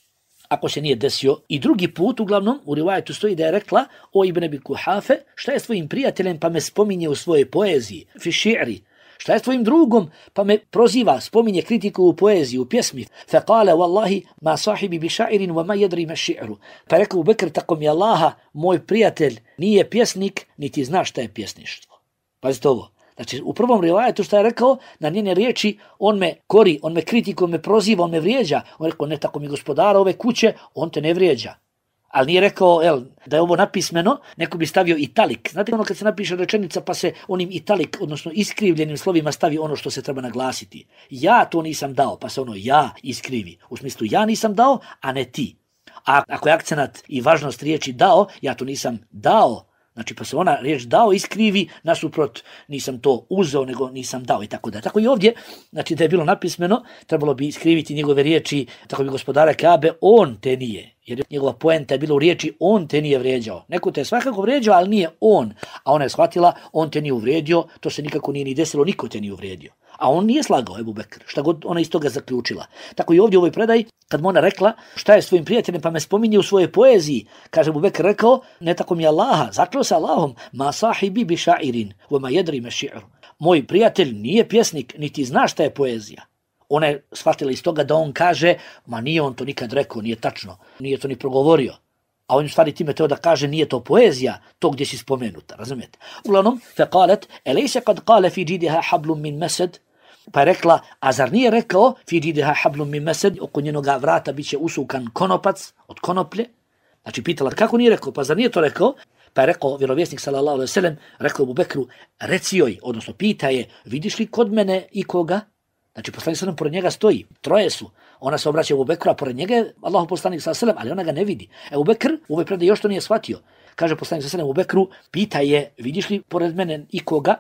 Speaker 2: ako se nije desio i drugi put, uglavnom u rivajetu stoji da je rekla: o Ibn Abi Kuhafe, šta je s tvojim prijateljem pa me spominje u svojoj poeziji, fi ši'ri, šta je s tvojim drugom pa me proziva, spominje kritiku u poeziji, u pjesmi, fa kale wallahi ma sahibi bi ša'irin wa ma jedri ma ši'ru, pa rekao Abu Bekr, tako mi Allaha, moj prijatelj nije pjesnik, niti zna šta je pjesništvo. Pazite ovo. Znači, u prvom rivajetu što je rekao, na njene riječi, on me kori, on me kritikuje, on me proziva, on me vrijeđa. On rekao, ne, tako mi gospodara ove kuće, on te ne vrijeđa. Ali nije rekao, el, da je ovo napismeno, neko bi stavio italik. Znate ono kad se napiše rečenica pa se onim italik, odnosno iskrivljenim slovima stavi ono što se treba naglasiti. Ja to nisam dao, pa se ono ja iskrivi. U smislu ja nisam dao, a ne ti. A ako je akcenat i važnost riječi dao, ja to nisam dao. Znači, pa se ona riječ dao iskrivi, nasuprot nisam to uzeo, nego nisam dao i tako da. Tako i ovdje, znači da je bilo napismeno, trebalo bi iskriviti njegove riječi, tako bi gospodara Kabe, on te nije. Jer njegova poenta je bila u riječi, on te nije vrijeđao. Neko te je svakako vrijeđao, ali nije on. A ona je shvatila, on te nije uvrijedio, to se nikako nije ni desilo, niko te nije uvrijedio. A on nije slagao, Ebu Bekr, šta god ona iz toga zaključila. Tako i ovdje u ovoj predaji, kad mu ona rekla šta je svojim prijateljem pa me spominje u svojoj poeziji, kaže Ebu Bekr rekao, ne tako mi Allaha, zakleo se Allahom, ma sahibi bi ša'irin, wa ma jedri me ši'ru. Moj prijatelj nije pjesnik, niti zna šta je poezija. Ona je shvatila iz toga da on kaže, ma nije on to nikad rekao, nije tačno, nije to ni progovorio. A on u stvari time teo da kaže nije to poezija, to gdje si spomenuta, razumijete? Uglavnom, fe kalet, elejse kad kale fi džidiha hablum min mesed, pa je rekla, a zar nije rekao, fi džidiha hablum min mesed, oko njenoga vrata bit će usukan konopac od konoplje? Znači pitala, kako nije rekao, pa zar nije to rekao? Pa je rekao vjerovjesnik sallallahu alejhi ve sellem, rekao Abu Bekru, reci joj, odnosno pita je, vidiš li kod mene ikoga? Znači poslanik sallallahu pored njega stoji, troje su. Ona se obraća Abu Bekru, a pored njega je Allahov poslanik sallallahu alejhi ve sellem, ali ona ga ne vidi. Abu Bekr u ovoj predaji još to nije shvatio. Kaže poslanik sallallahu alejhi ve sellem Abu Bekru, pita je, vidiš li pored mene ikoga?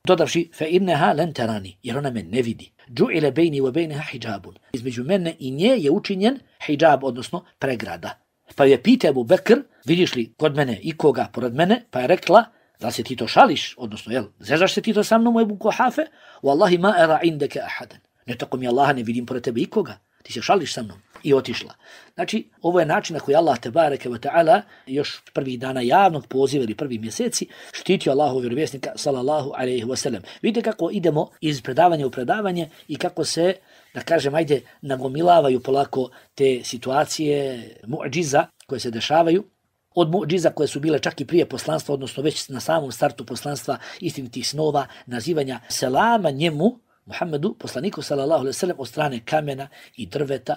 Speaker 2: Dodavši, fe inneha len terani, jer ona me ne vidi. Džu'ile bejni wa bejneha hijabun. Između mene i nje je učinjen hijab, odnosno pregrada. Pa je pita Abu Bekr, vidiš li kod mene ikoga pored mene? Pa je rekla, da se ti to šališ, odnosno, jel, zezaš se ti to sa mnom u Ebu Kuhafe? Wallahi ma era indeke ahadan. Ne tako mi Allaha, ne vidim pored tebe ikoga. Ti se šališ sa mnom. I otišla. Znači, ovo je način na koji Allah tebareke ve ta'ala još prvih dana javnog poziva ili prvih mjeseci štitio Allahov vjerovjesnika sallallahu alejhi ve sellem. Vidite kako idemo iz predavanja u predavanje i kako se, da kažem, ajde, nagomilavaju polako te situacije mu'džiza koje se dešavaju. Od mu'džiza koje su bile čak i prije poslanstva, odnosno već na samom startu poslanstva, istinitih snova, nazivanja selama njemu, Muhammedu, poslaniku sallallahu alejhi ve sellem, od strane kamena i drveta,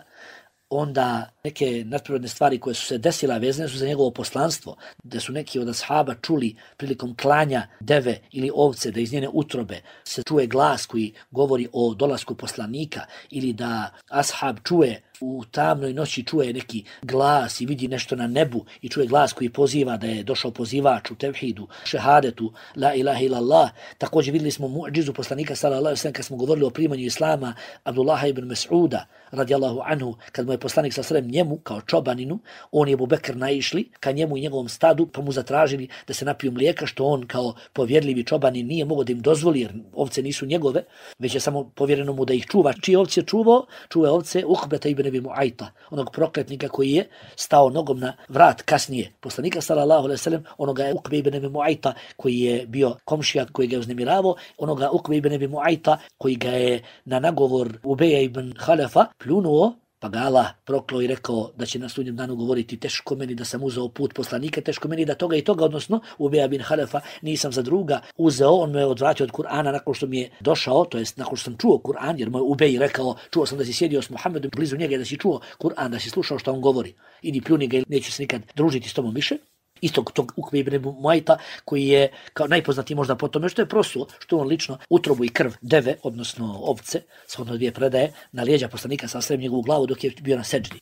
Speaker 2: onda neke nadprirodne stvari koje su se desila vezane su za njegovo poslanstvo, da su neki od ashaba čuli prilikom klanja deve ili ovce, da iz njene utrobe se čuje glas koji govori o dolasku poslanika, ili da ashab čuje u tamnoj noći čuje neki glas i vidi nešto na nebu i čuje glas koji poziva da je došao pozivač u tevhidu, šehadetu, la ilaha illallah. Također vidjeli smo mu'džizu poslanika sallallahu alejhi ve sellem kad smo govorili o primanju islama Abdullaha ibn Mas'uda radijallahu anhu, kad mu je poslanik sallallahu alejhi ve sellem njemu kao čobaninu, on je Abu Bekr naišli ka njemu i njegovom stadu, pa mu zatražili da se napiju mlijeka, što on kao povjerljivi čobanin nije mogao da im dozvoli jer ovce nisu njegove, već je samo povjereno mu da ih čuva. Čije ovce čuvao? Čuva ovce Ukbeta ibn Abi Mu'ayta, onog prokletnika koji je stao nogom na vrat kasnije poslanika sallallahu alejhi ve sellem, onoga je Ukbe ibn Abi Mu'ayta koji je bio komšija koji ga je uznemiravao, onoga Ukbe ibn Abi Mu'ayta koji ga je na nagovor Ubeja ibn Halefa pljunuo, pa ga Allah proklao i rekao da će na sudnjem danu govoriti teško meni da sam uzeo put poslanika, teško meni da toga i toga, odnosno Ubeja ibn Halefa nisam za druga uzeo, on me je odvratio od Kur'ana nakon što mi je došao, to jest nakon što sam čuo Kur'an, jer moj Ubej rekao, čuo sam da si sjedio s Muhammedom blizu njega, da si čuo Kur'an, da si slušao što on govori. Idi pljuni ga, neću se nikad družiti s tobom više. Istog tog Ukbe ibn Mu'ayta koji je kao najpoznatiji možda po tome što je prosuo, što on lično utrobu i krv deve, odnosno ovce, shodno dvije predaje, na lijeđa poslanika sa srem njegovu glavu dok je bio na seđdi.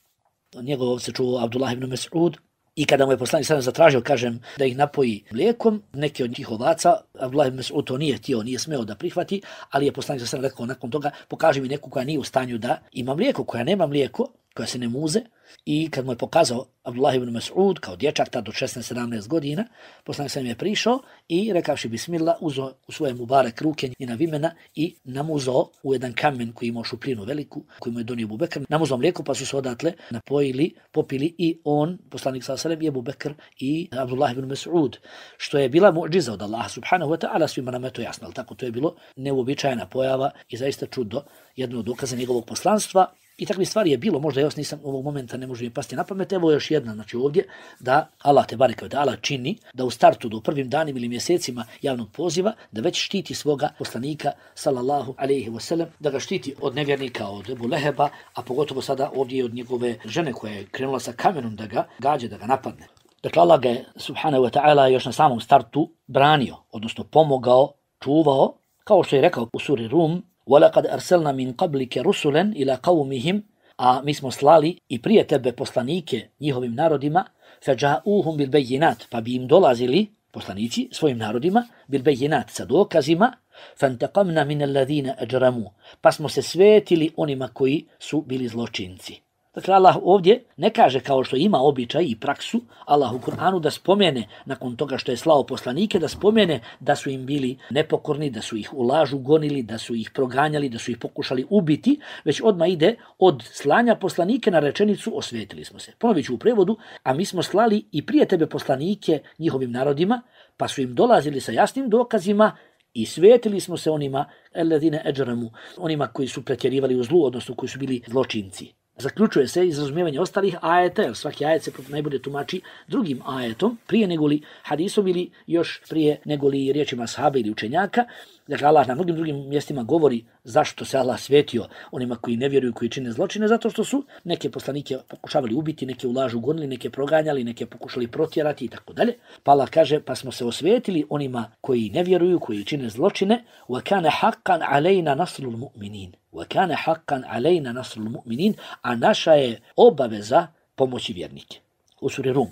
Speaker 2: Njegov ovce čuo Abdullah ibn Mas'ud, I kada mu je poslanik sallallahu zatražio, kažem, da ih napoji mlijekom, neki od tih ovaca, Abdullah ibn Mas'ud to nije htio, nije smeo da prihvati, ali je poslanik sallallahu rekao nakon toga, pokaži mi neku koja nije u stanju da ima mlijeko, koja nema mlijeko, koja se ne muze. I kad mu je pokazao Abdullah ibn Mas'ud kao dječak tad do šesnaest sedamnaest godina, poslanik sallallahu je prišao i rekavši bismillah, uzeo u svoje mubarek ruke njena vimena i namuzao u jedan kamen koji imao šupljinu veliku, koji mu je donio Abu Bekr, namuzao mlijeko, pa su se odatle napojili, popili i on, poslanik sallallahu i Abu Bekr i Abdullah ibn Mas'ud, što je bila mu'džiza od Allaha subhanahu wa ta'ala, svima nam je to jasno, ali tako to je bilo neuobičajena pojava i zaista čudo, jedno od dokaza njegovog poslanstva. I takvih stvari je bilo, možda još nisam ovog momenta, ne može mi pasti na pamet. Evo još jedna, znači ovdje, da Allah te bareke ve taala čini da u startu do prvim danima ili mjesecima javnog poziva, da već štiti svoga poslanika sallallahu alejhi ve sellem, da ga štiti od nevjernika, od Ebu Leheba, a pogotovo sada ovdje od njegove žene koja je krenula sa kamenom da ga gađe, da ga napadne. Dakle, Allah ga je subhanahu wa ta'ala još na samom startu branio, odnosno pomogao, čuvao, kao što je rekao u suri Rum, وَلَقَدْ أَرْسَلْنَا مِنْ قَبْلِكَ رُسُلًا إِلَى قَوْمِهِمْ, a mi smo slali i prije tebe poslanike njihovim narodima, فَجَاءُوهُمْ بِالْبَيِّنَاتِ, pa bi im dolazili poslanici svojim narodima, بِالْبَيِّنَاتِ, sa dokazima, فَانْتَقَمْنَا مِنَ الَّذِينَ أَجْرَمُوا, pa smo se svetili onima koji su bili zločinci. Dakle, Allah ovdje ne kaže kao što ima običaj i praksu, Allah u Kur'anu da spomene, nakon toga što je slao poslanike, da spomene da su im bili nepokorni, da su ih u lažu gonili, da su ih proganjali, da su ih pokušali ubiti, već odmah ide od slanja poslanike na rečenicu osvetili smo se. Ponovit ću u prevodu, a mi smo slali i prije tebe poslanike njihovim narodima, pa su im dolazili sa jasnim dokazima i svetili smo se onima, alladine ajramu, onima koji su pretjerivali u zlu, odnosno koji su bili zločinci. Zaključuje se iz razumijevanja ostalih ajeta, jer svaki ajet se najbolje tumači drugim ajetom, prije negoli hadisom ili još prije negoli riječima sahabe ili učenjaka. Dakle, Allah na mnogim drugim mjestima govori zašto se Allah svetio onima koji ne vjeruju, koji čine zločine, zato što su neke poslanike pokušavali ubiti, neke u lažu gonili, neke proganjali, neke pokušali protjerati i tako dalje. Pa Allah kaže, pa smo se osvetili onima koji ne vjeruju, koji čine zločine, وَكَانَ حَقًّا عَلَيْنَا نَصْرُ الْمُؤْمِنِينَ وَكَانَ حَقًّا عَلَيْنَا نَصْرُ الْمُؤْمِنِينَ, a naša je obaveza pomoći vjernike. U suri Rum.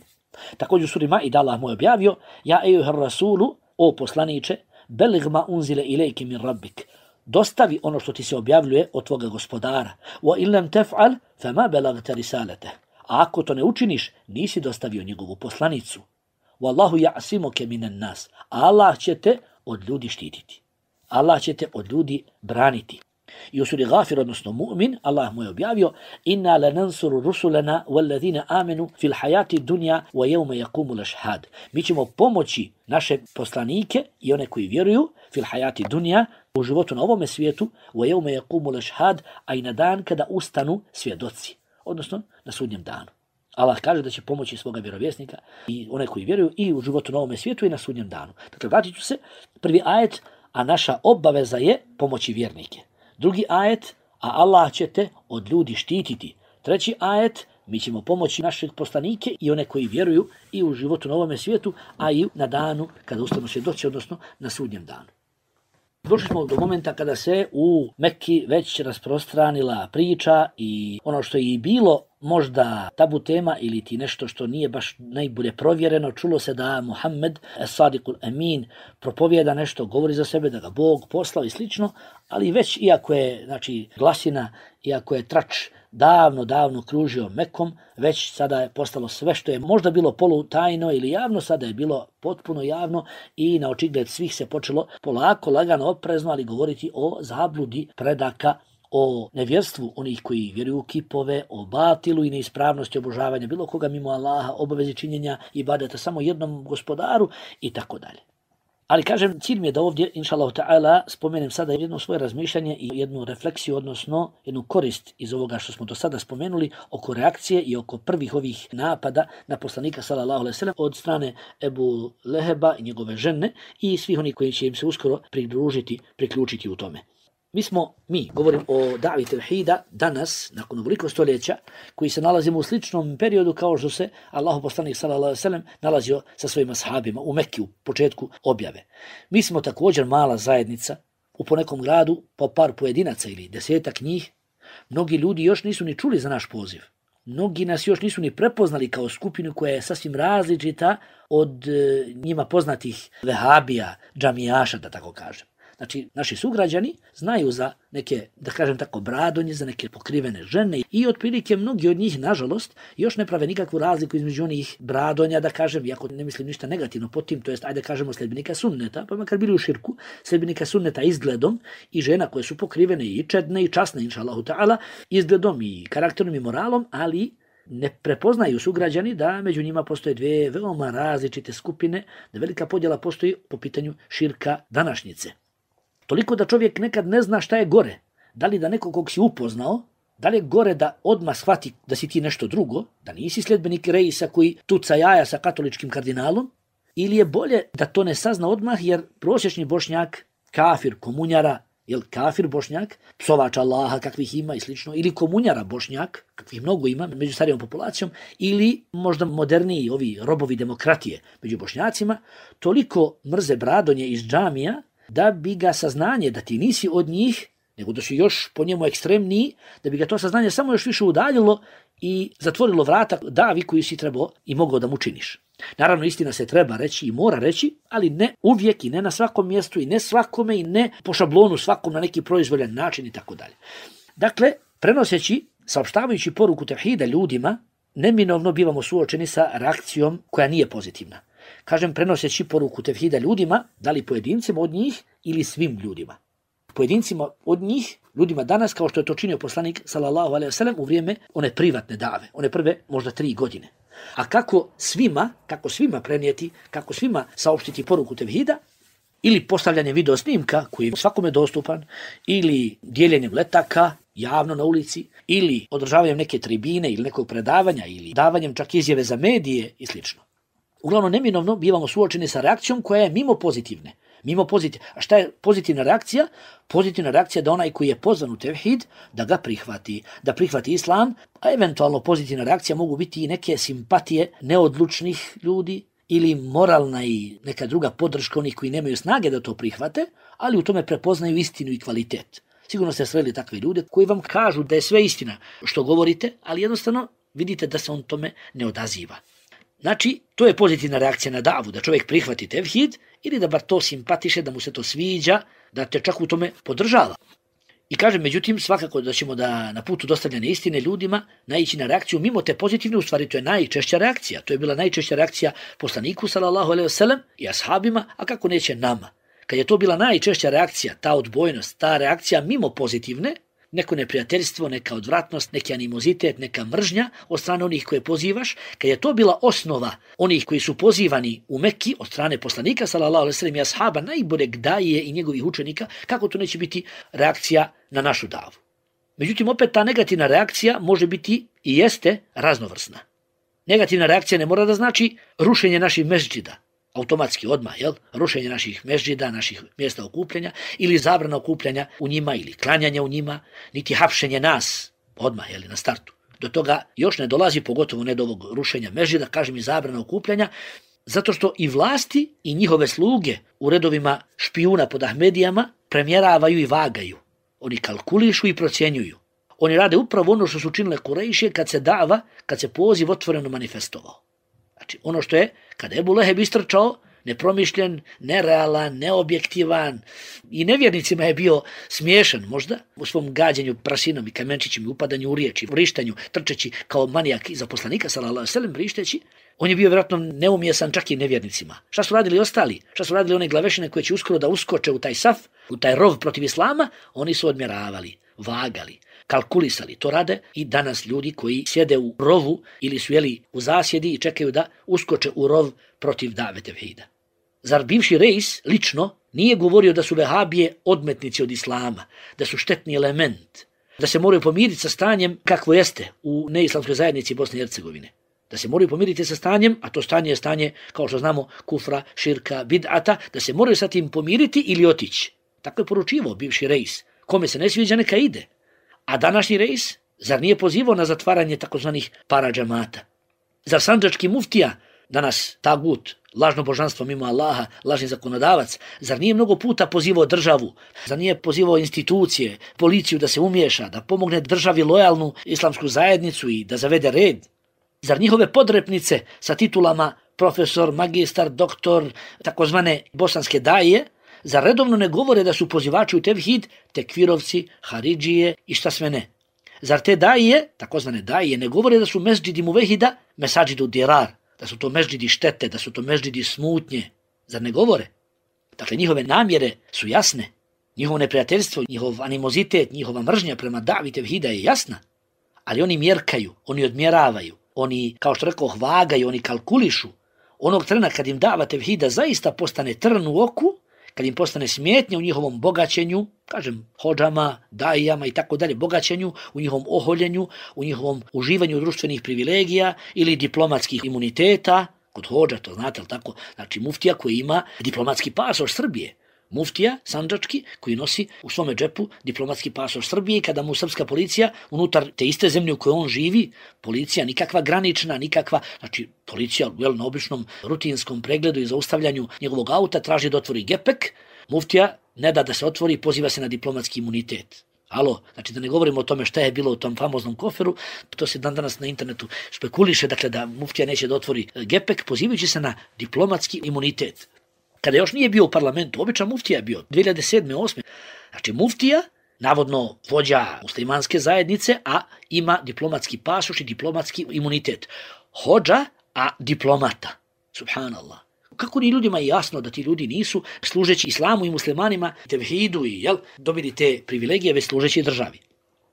Speaker 2: Također u suri Maida Allah mu je objavio, ja ejuhar rasulu, o poslaniče, beligh ma unzile ilejke min rabbik, dostavi ono što ti se objavljuje od tvoga gospodara. Wa illam taf'al fama balagta risalate. A ako to ne učiniš, nisi dostavio njegovu poslanicu. Wallahu ya'simuke minan nas. Allah će te od ljudi štititi. Allah će te od ljudi braniti. I u suri Ghafir, odnosno Mu'min, Allah mu je objavio, inna lanansuru rusulana walladhina amanu fil hayati dunya wa yawma yaqumu al-ashhad. Mi ćemo pomoći naše poslanike i one koji vjeruju fil hayati dunya, u životu na ovome svijetu, wa yawma yaqumu al-ashhad, a i na dan kada ustanu svjedoci, odnosno na sudnjem danu. Allah kaže da će pomoći svoga vjerovjesnika i one koji vjeruju i u životu na ovome svijetu i na sudnjem danu. Dakle, vratit ću se, prvi ajet, a naša obaveza je pomoći vjernike. Drugi ajet, a Allah će te od ljudi štititi. Treći ajet, mi ćemo pomoći našeg poslanike i one koji vjeruju i u životu na ovome svijetu, a i na danu kada ustanu svjedoci, odnosno na sudnjem danu. Došli smo do momenta kada se u Mekki već rasprostranila priča i ono što je i bilo možda tabu tema ili ti nešto što nije baš najbolje provjereno, čulo se da Muhammed as-Sadiqul Amin propovijeda nešto, govori za sebe da ga Bog poslao i slično, ali već iako je znači glasina, iako je trač davno, davno kružio Mekom, već sada je postalo sve što je možda bilo polutajno ili javno, sada je bilo potpuno javno i na očigled svih se počelo polako, lagano, oprezno, ali govoriti o zabludi predaka, o nevjerstvu onih koji vjeruju u kipove, o batilu i neispravnosti obožavanja bilo koga mimo Allaha, obavezi činjenja ibadeta samo jednom gospodaru i tako dalje. Ali kažem, cilj mi je da ovdje, inšallahu ta'ala, spomenem sada jedno svoje razmišljanje i jednu refleksiju, odnosno jednu korist iz ovoga što smo do sada spomenuli oko reakcije i oko prvih ovih napada na poslanika sallallahu alejhi ve sellem od strane Ebu Leheba i njegove žene i svih onih koji će im se uskoro pridružiti, priključiti u tome. Mi smo, mi, govorim o davi tevhida, danas, nakon ovoliko stoljeća, koji se nalazimo u sličnom periodu kao što se Allahu poslanik sallallahu alejhi ve sellem nalazio sa svojim ashabima u Mekki u početku objave. Mi smo također mala zajednica, u ponekom gradu po par pojedinaca ili desetak njih. Mnogi ljudi još nisu ni čuli za naš poziv. mnogi nas još nisu ni prepoznali kao skupinu koja je sasvim različita od e, njima poznatih vehabija, džamijaša, da tako kažem. Znači, naši sugrađani znaju za neke, da kažem tako, bradonje, za neke pokrivene žene i otprilike mnogi od njih, nažalost, još ne prave nikakvu razliku između onih bradonja, da kažem, iako ne mislim ništa negativno pod tim, to jest, ajde kažemo, sledbenika sunneta, pa makar bili u širku, sledbenika sunneta izgledom i žena koje su pokrivene i čedne i časne, inša Allahu ta'ala, izgledom i karakterom i moralom, ali ne prepoznaju sugrađani da među njima postoje dvije veoma različite skupine, da velika podjela postoji po pitanju širka današnjice. Toliko da čovjek nekad ne zna šta je gore. Da li da nekog kog si upoznao, da li je gore da odmah shvati da si ti nešto drugo, da nisi sljedbenik Reisa koji tuca jaja sa katoličkim kardinalom, ili je bolje da to ne sazna odmah jer prosječni Bošnjak, kafir, komunjara, jel kafir Bošnjak, psovač Allaha kakvih ima i slično, ili komunjara Bošnjak, kakvih mnogo ima među starijom populacijom, ili možda moderniji ovi robovi demokratije među Bošnjacima, toliko mrze bradonje iz džamija da bi ga saznanje da ti nisi od njih, nego da si još po njemu ekstremniji, da bi ga to saznanje samo još više udaljilo i zatvorilo vrata davi koju si trebao i mogao da mu činiš. Naravno, istina se treba reći i mora reći, ali ne uvijek i ne na svakom mjestu i ne svakome i ne po šablonu svakom na neki proizvoljan način i tako dalje. Dakle, prenoseći, saopštavajući poruku tevhida ljudima, neminovno bivamo suočeni sa reakcijom koja nije pozitivna. Kažem, prenoseći poruku tevhida ljudima, da li pojedincima od njih ili svim ljudima. Pojedincima od njih, ljudima danas, kao što je to činio poslanik sallallahu alejhi ve sellem u vrijeme one privatne dave, one prve možda tri godine. A kako svima, kako svima prenijeti, kako svima saopštiti poruku tevhida, ili postavljanjem video snimka koji je svakome dostupan, ili dijeljenjem letaka javno na ulici, ili održavanjem neke tribine ili nekog predavanja, ili davanjem čak izjave za medije i slično. Uglavnom, neminovno bivamo suočeni sa reakcijom koja je mimo pozitivne. Mimo pozitivne. A šta je pozitivna reakcija? Pozitivna reakcija da onaj koji je pozvan u tevhid, da ga prihvati, da prihvati islam, a eventualno pozitivna reakcija mogu biti i neke simpatije neodlučnih ljudi ili moralna i neka druga podrška onih koji nemaju snage da to prihvate, ali u tome prepoznaju istinu i kvalitet. Sigurno ste sreli takve ljude koji vam kažu da je sve istina što govorite, ali jednostavno vidite da se on tome ne odaziva. Znači, to je pozitivna reakcija na davu, da čovjek prihvati tevhid ili da bar to simpatiše, da mu se to sviđa, da te čak u tome podržava. I kažem, međutim, svakako da ćemo da na putu dostavljane istine ljudima naići na reakciju mimo te pozitivne, u stvari to je najčešća reakcija. To je bila najčešća reakcija poslaniku, sallallahu alejhi ve sellem, i ashabima, a kako neće nama. Kad je to bila najčešća reakcija, ta odbojnost, ta reakcija mimo pozitivne, neko neprijateljstvo, neka odvratnost, neki animozitet, neka mržnja od strane onih koje pozivaš, kad je to bila osnova onih koji su pozivani u Mekki od strane poslanika, sallallahu alejhi ve sellem, i ashaba, najboljeg daje i njegovih učenika, kako to neće biti reakcija na našu davu. Međutim, opet ta negativna reakcija može biti i jeste raznovrsna. Negativna reakcija ne mora da znači rušenje naših mezđida, automatski odmah, jel? Rušenje naših mezđida, naših mjesta okupljanja ili zabrana okupljanja u njima ili klanjanja u njima, niti hapšenje nas odmah, jel, na startu. Do toga još ne dolazi, pogotovo ne do ovog rušenja mezđida, kažem i zabrana okupljanja, zato što i vlasti i njihove sluge u redovima špijuna pod Ahmedijama premjeravaju i vagaju. Oni kalkulišu i procjenjuju. Oni rade upravo ono što su činile Kurejšije kad se dava, kad se poziv otvoreno manifestovao. Znači, ono što je, kada je Ebu Leheb istrčao, nepromišljen, nerealan, neobjektivan i nevjernicima je bio smiješan možda u svom gađenju prasinom i kamenčićima, upadanju u riječi, vrištanju, trčeći kao manijak iza poslanika, sallallahu alejhi ve sellem, vrišteći, on je bio vjerojatno neumjesan čak i nevjernicima. Šta su radili ostali? Šta su radili one glavešine koje će uskoro da uskoče u taj saf, u taj rov protiv islama? Oni su odmjeravali, vagali, kalkulisali. To rade i danas ljudi koji sjede u rovu ili su jeli u zasjedi i čekaju da uskoče u rov protiv dave tevhida. Zar bivši Reis lično nije govorio da su vehabije odmetnici od islama, da su štetni element, da se moraju pomiriti sa stanjem kakvo jeste u neislamskoj zajednici Bosne i Hercegovine? Da se moraju pomiriti sa stanjem, a to stanje je stanje, kao što znamo, kufra, širka, bid'ata, da se moraju sa tim pomiriti ili otići. Tako je poručivao bivši Reis. Kome se ne sviđa, neka ide. A današnji Reis, zar nije pozivao na zatvaranje takozvanih paradžamata? Zar sandžački muftija, danas tagut, lažno božanstvo mimo Allaha, lažni zakonodavac, zar nije mnogo puta pozivao državu, zar nije pozivao institucije, policiju da se umiješa, da pomogne državi lojalnu islamsku zajednicu i da zavede red? Zar njihove podrepnice sa titulama profesor, magistar, doktor, takozvane bosanske daje, zar redovno ne govore da su pozivači u tevhid, tekfirovci, haridžije i šta sve ne? Zar te daje, takozvane daje, ne govore da su mesdžidi muvehida, mesađidu dirar, da su to mesdžidi štete, da su to mesdžidi smutnje? Zar ne govore? Dakle, njihove namjere su jasne. Njihovo neprijateljstvo, njihov animozitet, njihova mržnja prema davi tevhida je jasna. Ali oni mjerkaju, oni odmjeravaju, oni, kao što rekao, vagaju, oni kalkulišu. Onog trena kad im dava tevhida zaista postane trn u oku, kad im postane smetnja u njihovom bogaćenju, kažem, hodžama, dajama i tako dalje, bogaćenju, u njihovom oholjenju, u njihovom uživanju društvenih privilegija ili diplomatskih imuniteta, kod hodža, to znate, ali tako, znači muftija koji ima diplomatski pasoš Srbije, muftija sandžački koji nosi u svome džepu diplomatski pasoš Srbije i kada mu srpska policija unutar te iste zemlje u kojoj on živi, policija nikakva granična, nikakva, znači policija jel, na običnom rutinskom pregledu i zaustavljanju njegovog auta traži da otvori gepek, muftija ne da da se otvori, poziva se na diplomatski imunitet. Alo, znači da ne govorimo o tome šta je bilo u tom famoznom koferu, to se dan danas na internetu špekuliše, dakle da muftija neće da otvori gepek, pozivajući se na diplomatski imunitet. Kada još nije bio u parlamentu, običan muftija je bio, dvije hiljade sedme osme Znači muftija, navodno vođa muslimanske zajednice, a ima diplomatski pasoš i diplomatski imunitet. Hodža, a diplomata. Subhanallah. Kako ni ljudima je jasno da ti ljudi nisu, služeći islamu i muslimanima, tevhidu i jel, dobili te privilegije, već služeći državi.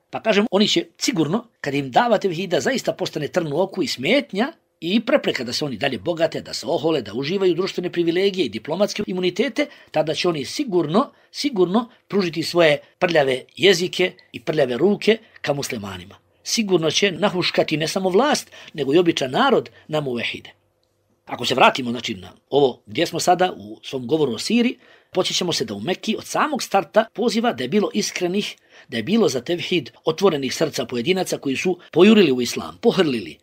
Speaker 2: Pa kažem, oni će sigurno, kad im dava tevhida, zaista postane trn u oku i smetnja, i prepreka da se oni dalje bogate, da se ohole, da uživaju društvene privilegije i diplomatske imunitete, tada će oni sigurno, sigurno pružiti svoje prljave jezike i prljave ruke ka muslimanima. Sigurno će nahuškati ne samo vlast, nego i običan narod na muvehide. Ako se vratimo znači, na ovo gdje smo sada u svom govoru o Siriji, podsjećamo se da u Mekki od samog starta poziva da je bilo iskrenih, da je bilo za tevhid otvorenih srca pojedinaca koji su pojurili u islam, pohrlili.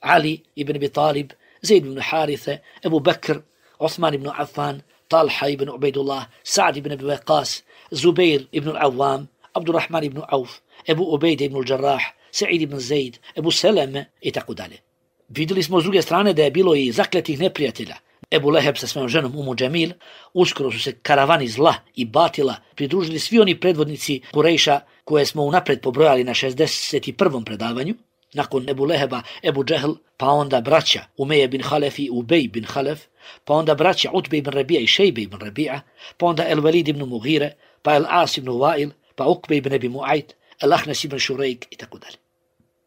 Speaker 2: Ali ibn Abi Talib, Zaid ibn Harithe, Ebu Bekr, Osman ibn Affan, Talha ibn Ubaidullah, Sa'd ibn Abi Waqqas, Zubair ibn Awam, Abdurrahman ibn Auf, Ebu Ubaid ibn Jarrah, Sa'id ibn Zaid, Ebu Seleme i tako dalje. Vidjeli smo s druge strane da je bilo i zakletih neprijatelja. Ebu Leheb sa svojom ženom Umu Džemil, uskoro su se karavani zla i batila pridružili svi oni predvodnici Kurejša koje smo unapred pobrojali na šezdeset prvom predavanju. Nakon Ebu Leheba, Ebu Džehl, pa onda braća Umeje bin Halef i Ubej bin Halef, pa onda braća Utbe ibn Rabija i Šejbe ibn Rabija, pa onda El Velid ibn Mugire, pa El As ibn Vail, pa Ukbe ibn Abi Mu'ajt, El Ahnas ibn Šurejk i tako dalje.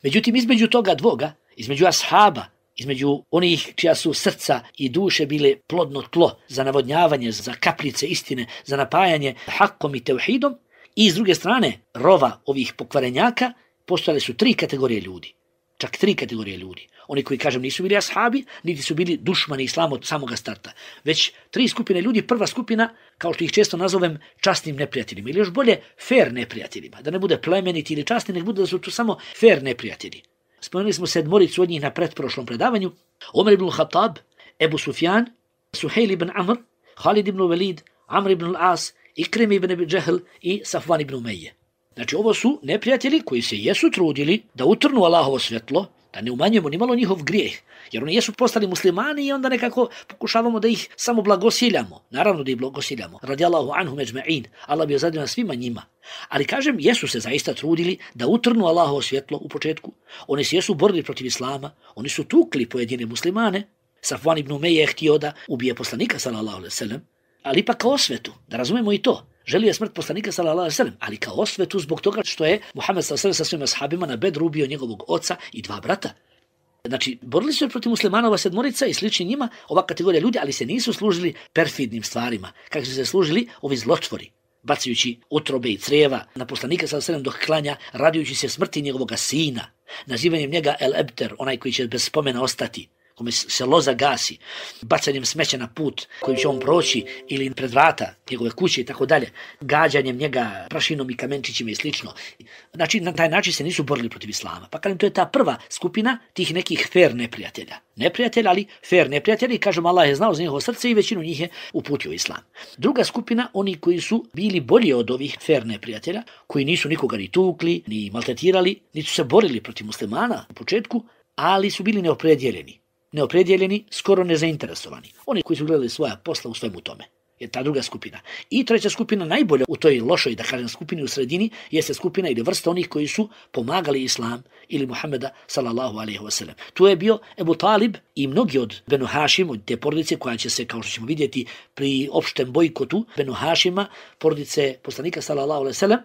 Speaker 2: Međutim, između toga dvoga, između ashaba, između onih čija su srca i duše bile plodno tlo za navodnjavanje, za kapljice istine, za napajanje hakom i tevhidom, i s druge strane rova ovih pokvarenjaka, postojale su tri kategorije ljudi. Čak tri kategorije ljudi. Oni koji, kažem, nisu bili ashabi, niti su bili dušmani islama od samoga starta. Već tri skupine ljudi, prva skupina, kao što ih često nazovem, časnim neprijateljima. Ili još bolje, fair neprijateljima. Da ne bude plemeniti ili časni, nek bude da su to samo fair neprijatelji. Spomenuli smo sedmoricu od njih na pretprošlom predavanju. Omer ibn Khattab, Ebu Sufjan, Suhejl ibn Amr, Khalid ibn Velid, Amr ibn al-As, Ikrim ibn Abi Džehl i Safvan ibn Umeje. Znači, ovo su neprijatelji koji se jesu trudili da utrnu Allahovo svjetlo, da ne umanjujemo ni malo njihov grijeh, jer oni jesu postali muslimani i onda nekako pokušavamo da ih samo blagosiljamo. Naravno da ih blagosiljamo. Radijallahu anhum ejma'in. Allah bi ozadio na svima njima. Ali kažem, jesu se zaista trudili da utrnu Allahovo svjetlo u početku. Oni se jesu borili protiv islama, oni su tukli pojedine muslimane. Safvan ibn Umeje je htio da ubije poslanika sallallahu alejhi ve sellem, ali ipak kao osvetu, da razumemo i to. Želio je smrt poslanika sallallahu alejhi ve sellem, ali kao osvetu zbog toga što je Muhammed sallallahu alejhi ve sellem sa svojim ashabima na Bedru ubio njegovog oca i dva brata. Znači, borili su se protiv muslimanova sedmorica i slični njima, ova kategorija ljudi, ali se nisu služili perfidnim stvarima, kako su se služili ovi zlotvori, bacajući utrobe i crijeva na poslanika sallallahu alejhi ve sellem dok klanja, radujući se smrti njegovog sina, nazivanjem njega El Ebter, onaj koji će bez spomena ostati, kome se loza gasi, bacanjem smeća na put kojim će on proći ili pred vrata njegove kuće i tako dalje, gađanjem njega prašinom i kamenčićima i slično. Znači, na taj način se nisu borili protiv islama. Pa kažem, to je ta prva skupina tih nekih fair neprijatelja. Neprijatelja, ali fair neprijatelji, kažem, Allah je znao za njihovo srce i većinu njih je uputio islam. Druga skupina, oni koji su bili bolji od ovih fair neprijatelja, koji nisu nikoga ni tukli, ni maltretirali, niti su se borili protiv muslimana u početku, ali su bili neopredjeljeni. Neopredjeljeni, skoro nezainteresovani. Oni koji su gledali svoja posla u svemu tome. Je ta druga skupina. I treća skupina, najbolja u toj lošoj, da kažem, skupini u sredini, jeste skupina ili vrsta onih koji su pomagali islam ili Muhammeda sallallahu alejhi ve sellem. Tu je bio Ebu Talib i mnogi od Benu Hašim, od te porodice koja će se, kao što ćemo vidjeti, pri opštem bojkotu Benu Hašima, porodice poslanika sallallahu alejhi ve sellem,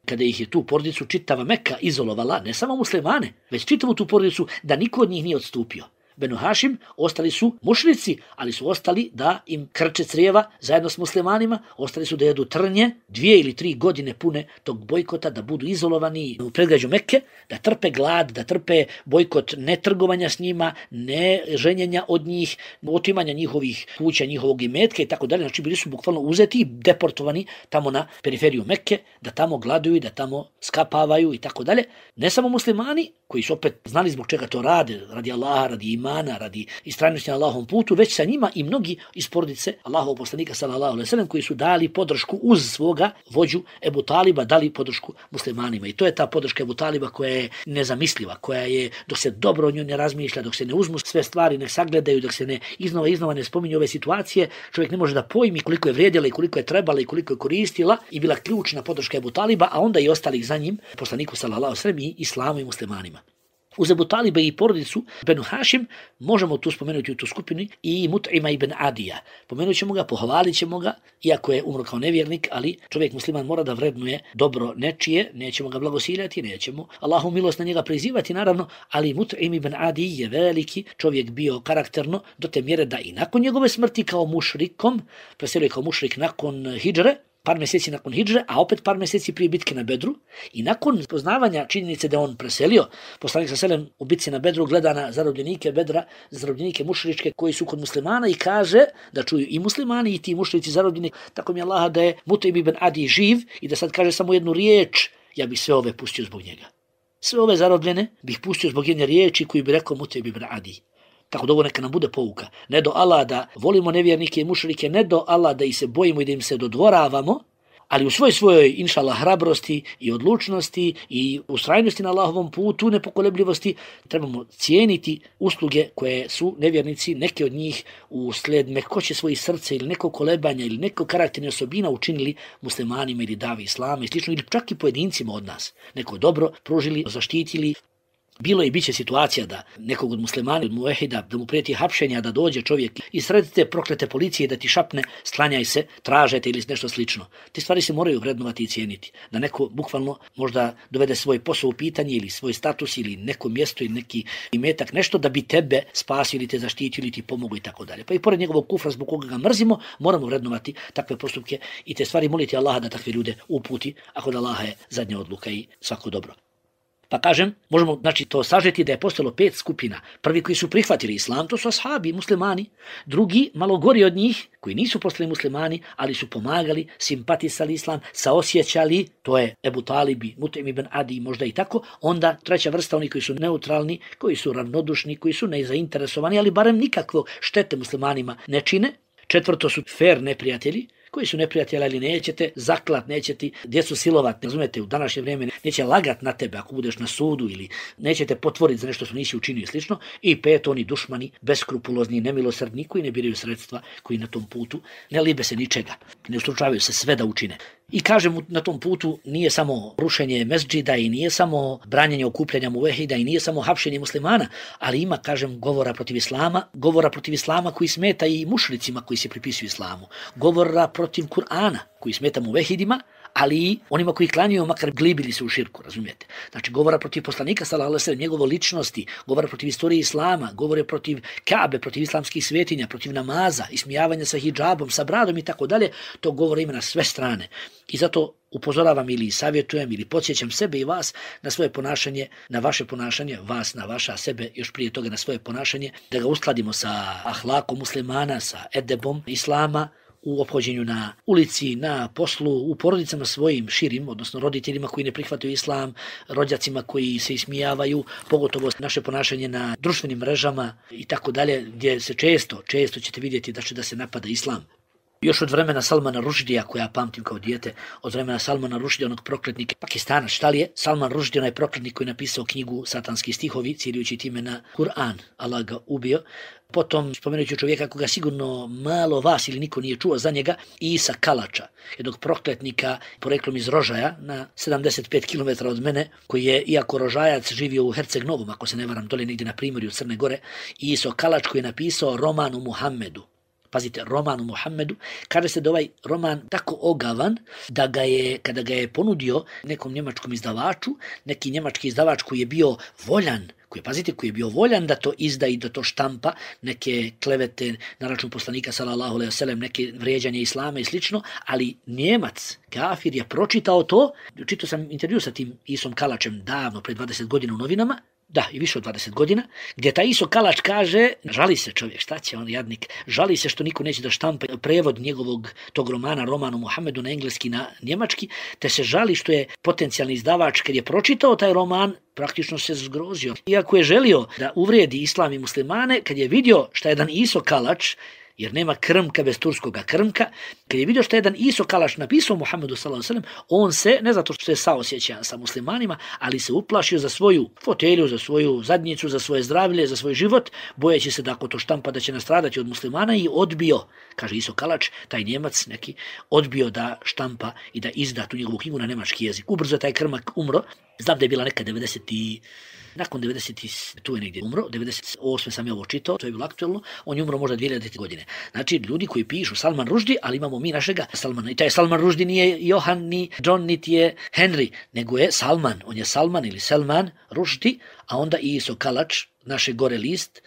Speaker 2: kada ih je tu porodicu čitava Meka izolovala, ne samo muslimane, već čitavu tu porodicu, da niko od njih nije odstupio. Benu Hašim ostali su mušrici, ali su ostali da im krče crijeva zajedno s muslimanima, ostali su da jedu trnje, dvije ili tri godine pune tog bojkota, da budu izolovani u predgrađu Mekke, da trpe glad, da trpe bojkot ne trgovanja s njima, ne ženjenja od njih, otimanja njihovih kuća, njihovog imetka i tako dalje. Znači bili su bukvalno uzeti i deportovani tamo na periferiju Mekke, da tamo gladuju, da tamo skapavaju i tako dalje. Ne samo muslimani, koji su opet znali zbog čega to rade, radi Allaha, radi imana, radi istrajnosti na Allahovom putu, već sa njima i mnogi iz porodice Allahovog poslanika sallallahu alejhi ve sellem koji su dali podršku uz svoga vođu Ebu Taliba, dali podršku muslimanima. I to je ta podrška Ebu Taliba koja je nezamisliva, koja je, dok se dobro o njoj ne razmišlja, dok se ne uzmu sve stvari, ne sagledaju, dok se ne iznova iznova ne spominju ove situacije, čovjek ne može da pojmi koliko je vrijedila i koliko je trebala i koliko je koristila i bila ključna podrška Ebu Taliba, a onda i ostalih za njim, poslaniku sallallahu alejhi ve sellem i islamu i muslimanima. Uz Ebu Taliba i porodicu Benu Hašim možemo tu spomenuti u tu skupini i Mut'ima ibn Adija. Pomenut ćemo ga, pohvalit ćemo ga, iako je umro kao nevjernik, ali čovjek musliman mora da vrednuje dobro nečije, nećemo ga blagosiljati, nećemo Allahu milost na njega prizivati, naravno, ali Mut'im ibn Adi je veliki čovjek bio karakterno do te mjere da i nakon njegove smrti kao mušrikom, preselio je kao mušrik nakon hidžre, par mjeseci nakon hidžre, a opet par mjeseci prije bitke na Bedru i nakon poznavanja činjenice da on preselio, poslanik sallallahu alejhi ve sellem u bitci na Bedru gleda na zarobljenike Bedra, zarobljenike mušričke koji su kod muslimana i kaže da čuju i muslimani i ti mušrici zarobljeni, tako mi Allaha da je Mut'im ibn Adi živ i da sad kaže samo jednu riječ, ja bih sve ove pustio zbog njega. Sve ove zarobljene bih pustio zbog jedne riječi koju bi rekao Mut'im ibn Adi. Tako da ovo neka nam bude pouka. Ne do Allah da volimo nevjernike i mušrike, ne do Allah da ih se bojimo i da im se dodvoravamo, ali u svoj svojoj, inšallah, hrabrosti i odlučnosti i ustrajnosti na Allahovom putu, nepokolebljivosti, trebamo cijeniti usluge koje su nevjernici, neke od njih usled mekoće svojih srca ili nekog kolebanja ili nekog karakterne osobina učinili muslimanima ili davi islama i slično, ili čak i pojedincima od nas. Neko dobro pružili, zaštitili. Bilo je i bit će situacija da nekog od muslimana, od muvehida, da mu prijeti hapšenja, da dođe čovjek i sredite proklete policije da ti šapne, sklanjaj se, tražete ili nešto slično. Te stvari se moraju vrednovati i cijeniti. Da neko bukvalno možda dovede svoj posao u pitanje ili svoj status ili neko mjesto ili neki imetak, nešto da bi tebe spasio ili te zaštitio ili ti pomogao i tako dalje. Pa i pored njegovog kufra zbog koga ga mrzimo, moramo vrednovati takve postupke i te stvari moliti Allaha da takve ljude uputi, ako da Allaha je zadnja odluka i svako dobro. Pa kažem, možemo znači to sažeti da je postalo pet skupina. Prvi koji su prihvatili islam, to su ashabi, muslimani. Drugi, malo gori od njih, koji nisu postali muslimani, ali su pomagali, simpatisali islam, saosjećali, to je Ebu Talibi, Mut'im ibn Adi, možda i tako. Onda treća vrsta, oni koji su neutralni, koji su ravnodušni, koji su nezainteresovani, ali barem nikakvo štete muslimanima ne čine. Četvrto su fair neprijatelji, koji su neprijatelji, ali nećete zaklat, nećete djecu silovat, ne razumete, u današnje vrijeme neće lagat na tebe ako budeš na sudu ili nećete potvoriti za nešto što nisi učinio i slično. I pet, oni dušmani, beskrupulozni, nemilosrdni, koji ne biraju sredstva, koji na tom putu ne libe se ničega, ne ustručavaju se sve da učine. I kažem, na tom putu nije samo rušenje mesdžida i nije samo branjenje okupljanja muvehida i nije samo hapšenje muslimana, ali ima, kažem, govora protiv islama, govora protiv islama koji smeta i mušricima koji se pripisuju islamu, govora protiv Kur'ana koji smeta muvehidima, ali i onima koji klanjaju, makar glibili se u širku, razumijete. Znači, govora protiv poslanika, sallallahu alejhi ve sellem, njegove ličnosti, govora protiv istorije islama, govore protiv Kabe, protiv islamskih svetinja, protiv namaza, ismijavanja sa hidžabom, sa bradom i tako dalje, to govore ima na sve strane. I zato upozoravam ili savjetujem ili podsjećam sebe i vas na svoje ponašanje, na vaše ponašanje, vas na vaša, sebe još prije toga na svoje ponašanje, da ga uskladimo sa ahlakom muslimana, sa edebom islama, u ophođenju na ulici, na poslu, u porodicama svojim širim, odnosno roditeljima koji ne prihvataju islam, rođacima koji se ismijavaju, pogotovo naše ponašanje na društvenim mrežama i tako dalje, gdje se često, često ćete vidjeti da će da se napada islam. Još od vremena Salmana Rušdija, koja ja pamtim kao dijete, od vremena Salmana Rušdija, onog prokletnika Pakistana, šta li je? Salman Rušdi, onaj prokletnik koji je napisao knjigu Satanski stihovi, ciljujući time na Kur'an, Allah ga ubio. Potom spomenut ću čovjeka koga sigurno malo vas ili niko nije čuo za njega, Isa Kalača, jednog prokletnika poreklom iz Rožaja na sedamdeset pet kilometara od mene, koji je, iako Rožajac, živio u Herceg Novom, ako se ne varam, dole negdje na primorju Crne Gore, Iso Kalač koji je napisao roman o Muhammedu. Pazite, roman o Muhammedu, kaže se da ovaj roman tako ogavan da ga je, kada ga je ponudio nekom njemačkom izdavaču, neki njemački izdavač koji je bio voljan, koji, pazite, koji je bio voljan da to izda i da to štampa, neke klevete na račun poslanika sallallahu alejhi ve sellem, neke vrijeđanje islama i slično, ali Njemac, kafir, je pročitao to. Čitao sam intervju sa tim Isom Kalačem davno, pred dvadeset godina u novinama, da, i više od dvadeset godina, gdje taj Iso Kalač kaže, žali se čovjek, šta će on jadnik, žali se što niko neće da štampa prevod njegovog tog romana, romanu Muhammedu na engleski, na njemački, te se žali što je potencijalni izdavač, kad je pročitao taj roman, praktično se zgrozio. Iako je želio da uvrijedi islam i muslimane, kad je vidio šta je jedan Iso Kalač, jer nema krmka bez turskoga krmka, kad je vidio što je jedan Iso Kalač napisao Muhammedu sallallahu alejhi ve sellem, on se, ne zato što je saosjećan sa muslimanima, ali se uplašio za svoju fotelju, za svoju zadnjicu, za svoje zdravlje, za svoj život, bojeći se da ako to štampa da će nastradati od muslimana, i odbio, kaže Iso Kalač, taj Njemac neki, odbio da štampa i da izda tu njegovu knjigu na njemački jezik. Ubrzo je taj krmak umro, znam da je bila neka devedeset i nakon devedeset tu je negdje umro, devedeset osme sam je ovo čitao, to je bilo aktualno, on je umro možda dvije hiljadite godine. Znači, ljudi koji pišu Salman Rušdi, ali imamo mi našega Salmana. I taj Salman Rušdi nije Johan, ni John, niti je Henry, nego je Salman. On je Salman ili Salman Rušdi, a onda i Iso Kalač, naše gore list.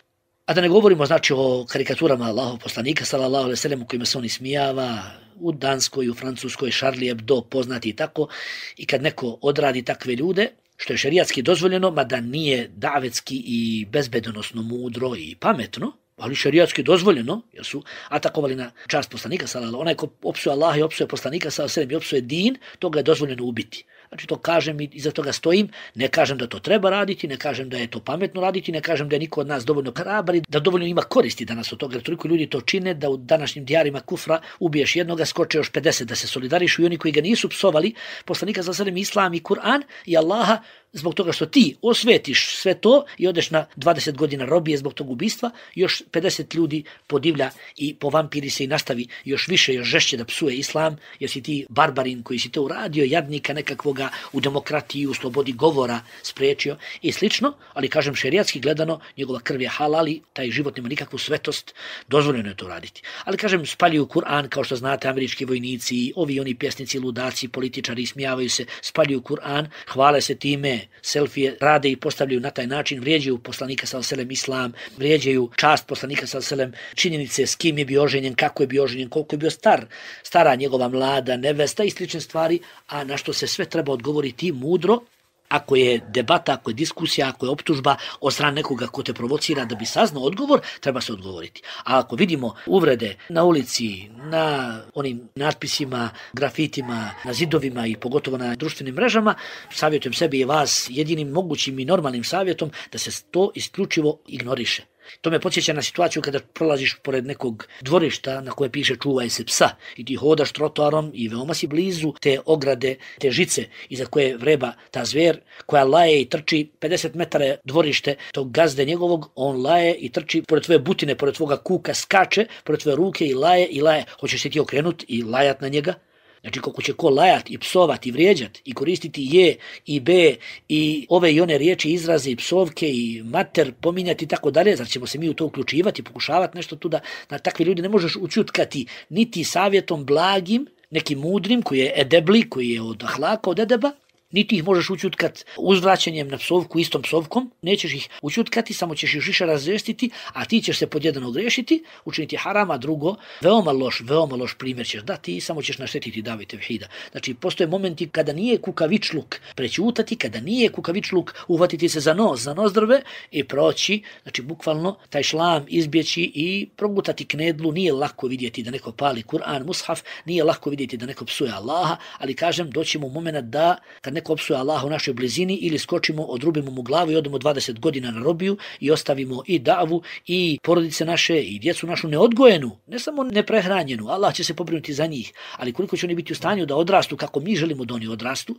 Speaker 2: A da ne govorimo, znači, o karikaturama Allahov poslanika, sallallahu alejhi ve sellem, u kojima se on ismijava, u Danskoj, u Francuskoj, Charlie Hebdo, poznati i tako. I kad neko odradi takve ljude, što je šerijatski dozvoljeno, mada nije davetski i bezbedonosno mudro i pametno, ali šerijatski dozvoljeno, jer su atakovali na čast poslanika, sallallahu, onaj ko opsuje Allaha i opsuje poslanika, sallallahu, i opsuje din, toga je dozvoljeno ubiti. Znači, to kažem i iza toga stojim, ne kažem da to treba raditi, ne kažem da je to pametno raditi, ne kažem da je niko od nas dovoljno hrabri, da dovoljno ima koristi danas od toga, jer toliko ljudi to čine da u današnjim dijarima kufra ubiješ jednoga, skoče još pedeset da se solidarišu, i oni koji ga nisu psovali, poslanika sallallahu alejhi ve sellem, islam i Kur'an i Allaha, zbog toga što ti osvetiš sve to i odeš na dvadeset godina robije zbog tog ubistva, još pedeset ljudi podivlja i povampiri se i nastavi još više, još žešće da psuje islam, jer si ti barbarin koji si to uradio, jadnika nekakvoga u demokratiji, u slobodi govora spriječio i slično, ali kažem šerijatski gledano, njegova krv je halal i taj život nema nikakvu svetost, dozvoljeno je to raditi. Ali kažem, spaljuju Kur'an, kao što znate, američki vojnici, ovi oni pjesnici, ludaci, političari, smijavaju se, spaljuju Kur'an, hvale se time, selfije rade i postavljaju na taj način, vrijeđaju poslanika sallallahu alejhi ve sellem, islam, vrijeđaju čast poslanika sallallahu alejhi ve sellem, činjenice s kim je bio oženjen, kako je bio oženjen, koliko je bio star, stara njegova mlada nevesta i slične stvari, a na što se sve treba odgovoriti mudro. Ako je debata, ako je diskusija, ako je optužba od strane nekoga ko te provocira da bi saznao odgovor, treba se odgovoriti. A ako vidimo uvrede na ulici, na onim natpisima, grafitima, na zidovima i pogotovo na društvenim mrežama, savjetujem sebi i vas jedinim mogućim i normalnim savjetom da se to isključivo ignoriše. To me podsjeća na situaciju kada prolaziš pored nekog dvorišta na koje piše čuvaj se psa i ti hodaš trotoarom i veoma si blizu te ograde, te žice iza koje vreba ta zver koja laje i trči pedeset metara dvorište tog gazde njegovog, on laje i trči pored tvoje butine, pored tvoga kuka, skače pored tvoje ruke i laje i laje. Hoćeš se ti okrenut i lajat na njega? Znači, kako će ko lajat i psovat i vrijeđat i koristiti je i be i ove i one riječi, izraze i psovke i mater pominjati i tako dalje, zar ćemo se mi u to uključivati, pokušavati nešto tu da na takve ljudi ne možeš učutkati niti savjetom blagim, nekim mudrim koji je edebli, koji je od ahlaka, od edeba, Niti ih možeš učutkat uzvraćanjem na psovku istom psovkom, nećeš ih učutkati, samo ćeš ih više razrestiti, a ti ćeš se pod jedan ogrešiti, učiniti haram, a drugo, veoma loš, veoma loš primjer ćeš dati i samo ćeš naštetiti davi tevhida. Znači, postoje momenti kada nije kukavičluk prećutati, kada nije kukavičluk uhvatiti se za nos, za nozdrve i proći, znači bukvalno taj šlam izbjeći i progutati knedlu. Nije lako vidjeti da neko pali Kur'an, mushaf, nije lako vidjeti da neko psuje Allaha, ali kažem, doćemo u moment da kad neko psuje Allaha u našoj blizini ili skočimo, odrubimo mu glavu i odemo dvadeset godina na robiju i ostavimo i davu i porodice naše i djecu našu neodgojenu, ne samo neprehranjenu, Allah će se pobrinuti za njih, ali koliko će oni biti u stanju da odrastu kako mi želimo da oni odrastu.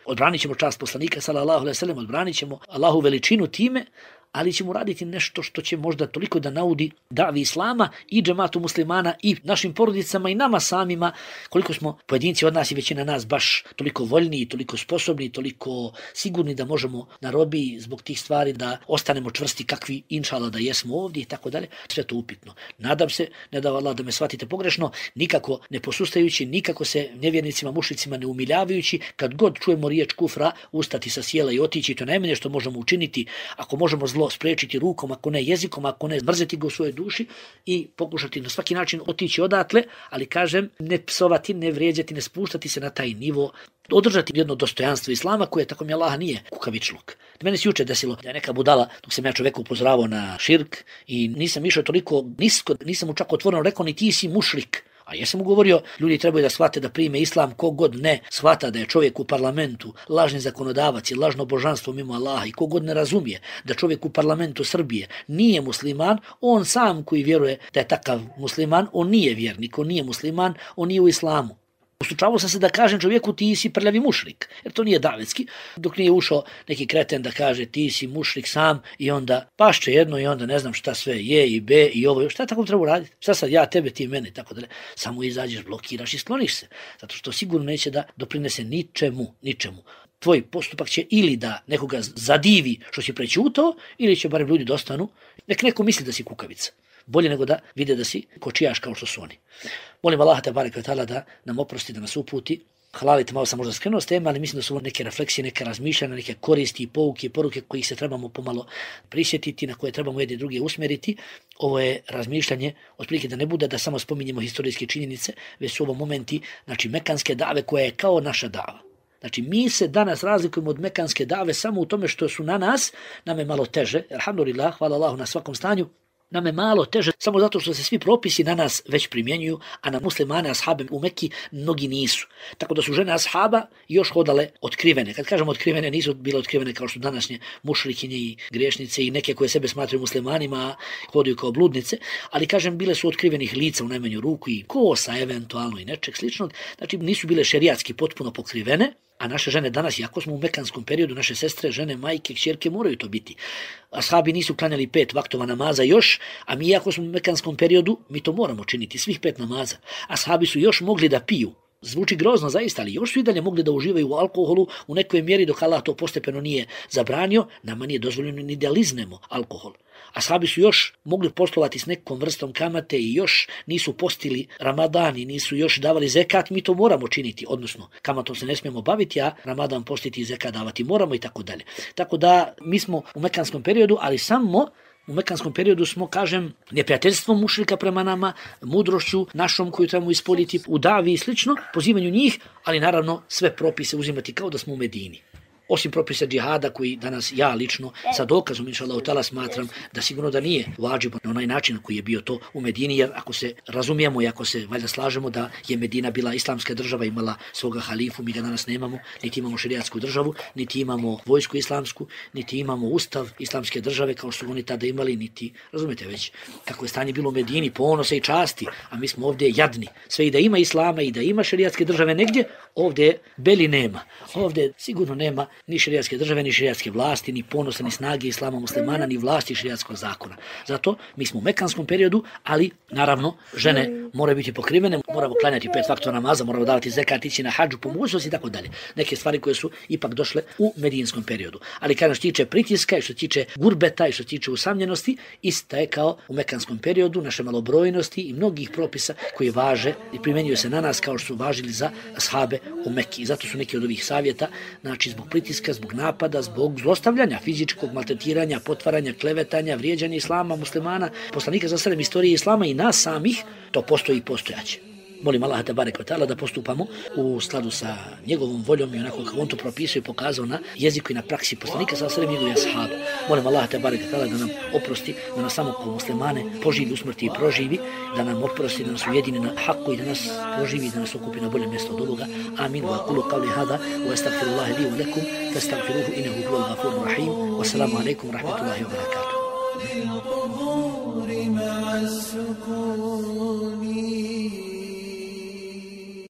Speaker 2: Odbranit ćemo čast poslanika sallallahu alejhi ve sellem, odbranit ćemo Allahu veličinu time, ali ćemo raditi nešto što će možda toliko da naudi davi islama i džematu muslimana i našim porodicama i nama samima, koliko smo pojedinci od nas i većina nas baš toliko voljni, toliko sposobni, toliko sigurni da možemo na robiji zbog tih stvari da ostanemo čvrsti kakvi inšala da jesmo ovdje i tako dalje. Sve to upitno. Nadam se, ne da Allah da me shvatite pogrešno, nikako ne posustajući, nikako se nevjernicima, mušricima ne umiljavajući, kad god čujemo riječ kufra, ustati sa sjela i otići, to najmanje što možemo učiniti, ako možemo zlo spriječiti rukom, ako ne jezikom, ako ne mrzeti ga u svojoj duši i pokušati na svaki način otići odatle, ali kažem, ne psovati, ne vrijeđati, ne spuštati se na taj nivo, održati jedno dostojanstvo islama koje tako mi Allah nije kukavičluk. Meni se juče desilo da je neka budala, dok sam ja čoveku upozoravao na širk i nisam išao toliko nisko, nisam mu čak otvoreno rekao ni ti si mušrik. A ja sam mu govorio, ljudi trebaju da shvate da prime islam, kogod ne shvata da je čovjek u parlamentu lažni zakonodavac i lažno božanstvo mimo Allaha i kogod ne razumije da čovjek u parlamentu Srbije nije musliman, on sam koji vjeruje da je takav musliman, on nije vjernik, on nije musliman, on nije u islamu. Ustučavao sam se da kažem čovjeku ti si prljavi mušrik, jer to nije davetski, dok nije ušao neki kreten da kaže ti si mušrik sam i onda pašće jedno i onda ne znam šta sve je i be i ovo, šta tako treba raditi, šta sad ja tebe, ti mene, tako da samo izađeš, blokiraš i skloniš se, zato što sigurno neće da doprinese ničemu, ničemu. Tvoj postupak će ili da nekoga zadivi što si prećutao, ili će barem ljudi dostanu, nek neko misli da si kukavica. Bolje nego da vide da si kočijaš kao što su oni. Molim Allaha te bareke ve taala da nam oprosti, da nas uputi. Halalite, malo sam možda skrenuo s teme, ali mislim da su neke refleksije, neke razmišljanja, neke koristi i pouke, poruke kojih se trebamo pomalo prisjetiti, na koje trebamo jedni drugi usmjeriti. Ovo je razmišljanje, otprilike da ne bude da samo spominjemo historijske činjenice, već su ovo momenti, znači mekanske dave koja je kao naša dava. Znači, mi se danas razlikujemo od mekanske dave samo u tome što su na nas, nam je malo teže, alhamdulillah, hvala Allahu na svakom stanju, nam je malo teže samo zato što se svi propisi na nas već primjenjuju, a na muslimane, ashabe u Mekki mnogi nisu. Tako da su žene ashaba još hodale otkrivene. Kad kažemo otkrivene, nisu bile otkrivene kao što današnje mušrikinje i griješnice i neke koje sebe smatraju muslimanima, a hodaju kao bludnice, ali kažem, bile su otkrivenih lica u najmanju ruku i kosa eventualno i nečeg sličnog. Znači, nisu bile šerijatski potpuno pokrivene, a naše žene danas, jako smo u mekanskom periodu, naše sestre, žene, majke, kćerke moraju to biti. Ashabi nisu klanjali pet vaktova namaza još, a mi, jako smo u mekanskom periodu, mi to moramo činiti, svih pet namaza. Ashabi su još mogli da piju. Zvuči grozno zaista, ali još su i dalje mogli da uživaju u alkoholu u nekoj mjeri dok Allah to postepeno nije zabranio, nama nije dozvoljeno ni da liznemo alkohol. Ashabi su još mogli poslovati s nekom vrstom kamate i još nisu postili Ramadan i nisu još davali zekat, mi to moramo činiti, odnosno kamatom se ne smijemo baviti, a Ramadan postiti i zekat davati moramo i tako dalje. Tako da mi smo u mekanskom periodu, ali samo u mekanskom periodu smo, kažem, neprijateljstvom mušrika prema nama, mudrošću našom koju trebamo ispoljiti u davi i slično, pozivanju njih, ali naravno sve propise uzimati kao da smo u Medini. Osim propisa džihada koji danas ja lično sa dokazom inšallahu ta'ala smatram da sigurno da nije vađib na onaj način koji je bio to u Medini, jer ako se razumijemo i ako se valjda slažemo da je Medina bila islamska država, imala svoga halifu, mi ga danas nemamo, niti imamo šerijatsku državu, niti imamo vojsku islamsku, niti imamo ustav islamske države kao što su oni tada imali, niti, razumijete već, kako je stanje bilo u Medini, ponosa i časti, a mi smo ovdje jadni. Sve i da ima islama i da ima šerijatske države negdje, ovdje beli nema. Ovdje sigurno nema ni šerijatske države, ni šerijatske vlasti, ni ponosa, ni snage islama muslimana, ni vlasti šerijatskog zakona. Zato mi smo u mekanskom periodu, ali naravno žene moraju biti pokrivene, moramo klanjati pet vakata namaza, moramo davati zekat, ići na hadžu, po mogućnosti i tako dalje. Neke stvari koje su ipak došle u medijinskom periodu. Ali kada što tiče pritiska i što tiče gurbeta i što tiče usamljenosti, ista je kao u mekanskom periodu, naše malobrojnosti i mnogih propisa koji važe i primjenjuju se na nas kao što su važili za ashabe u Mekki. I zato su neki od ovih savjeta, znači zbog pritiska, zbog napada, zbog zlostavljanja, fizičkog maltretiranja, potvaranja, klevetanja, vrijeđanja islama, muslimana, poslanika za sredem istorije islama i nas samih, to postoji i postojaće. Molim Allaha tebareke ve taala da postupamo u skladu sa njegovom voljom i onako kako on to propisuje i pokazao na jeziku i na praksi poslanika sa sredem njegovih ashaba. Molim Allaha tebareke ve taala da nam oprosti, da nas samo kao muslimane poživi u smrti i proživi, da nam oprosti, da nas ujedini na haku i da nas proživi, da nas okupi na bolje mjesto od ovoga. Amin. Wa aqulu qawli hada wa astaghfirullaha li wa lakum fastaghfiruhu innahu huwal ghafurur rahim. Wassalamu alaikum wa rahmatullahi wa barakatuh.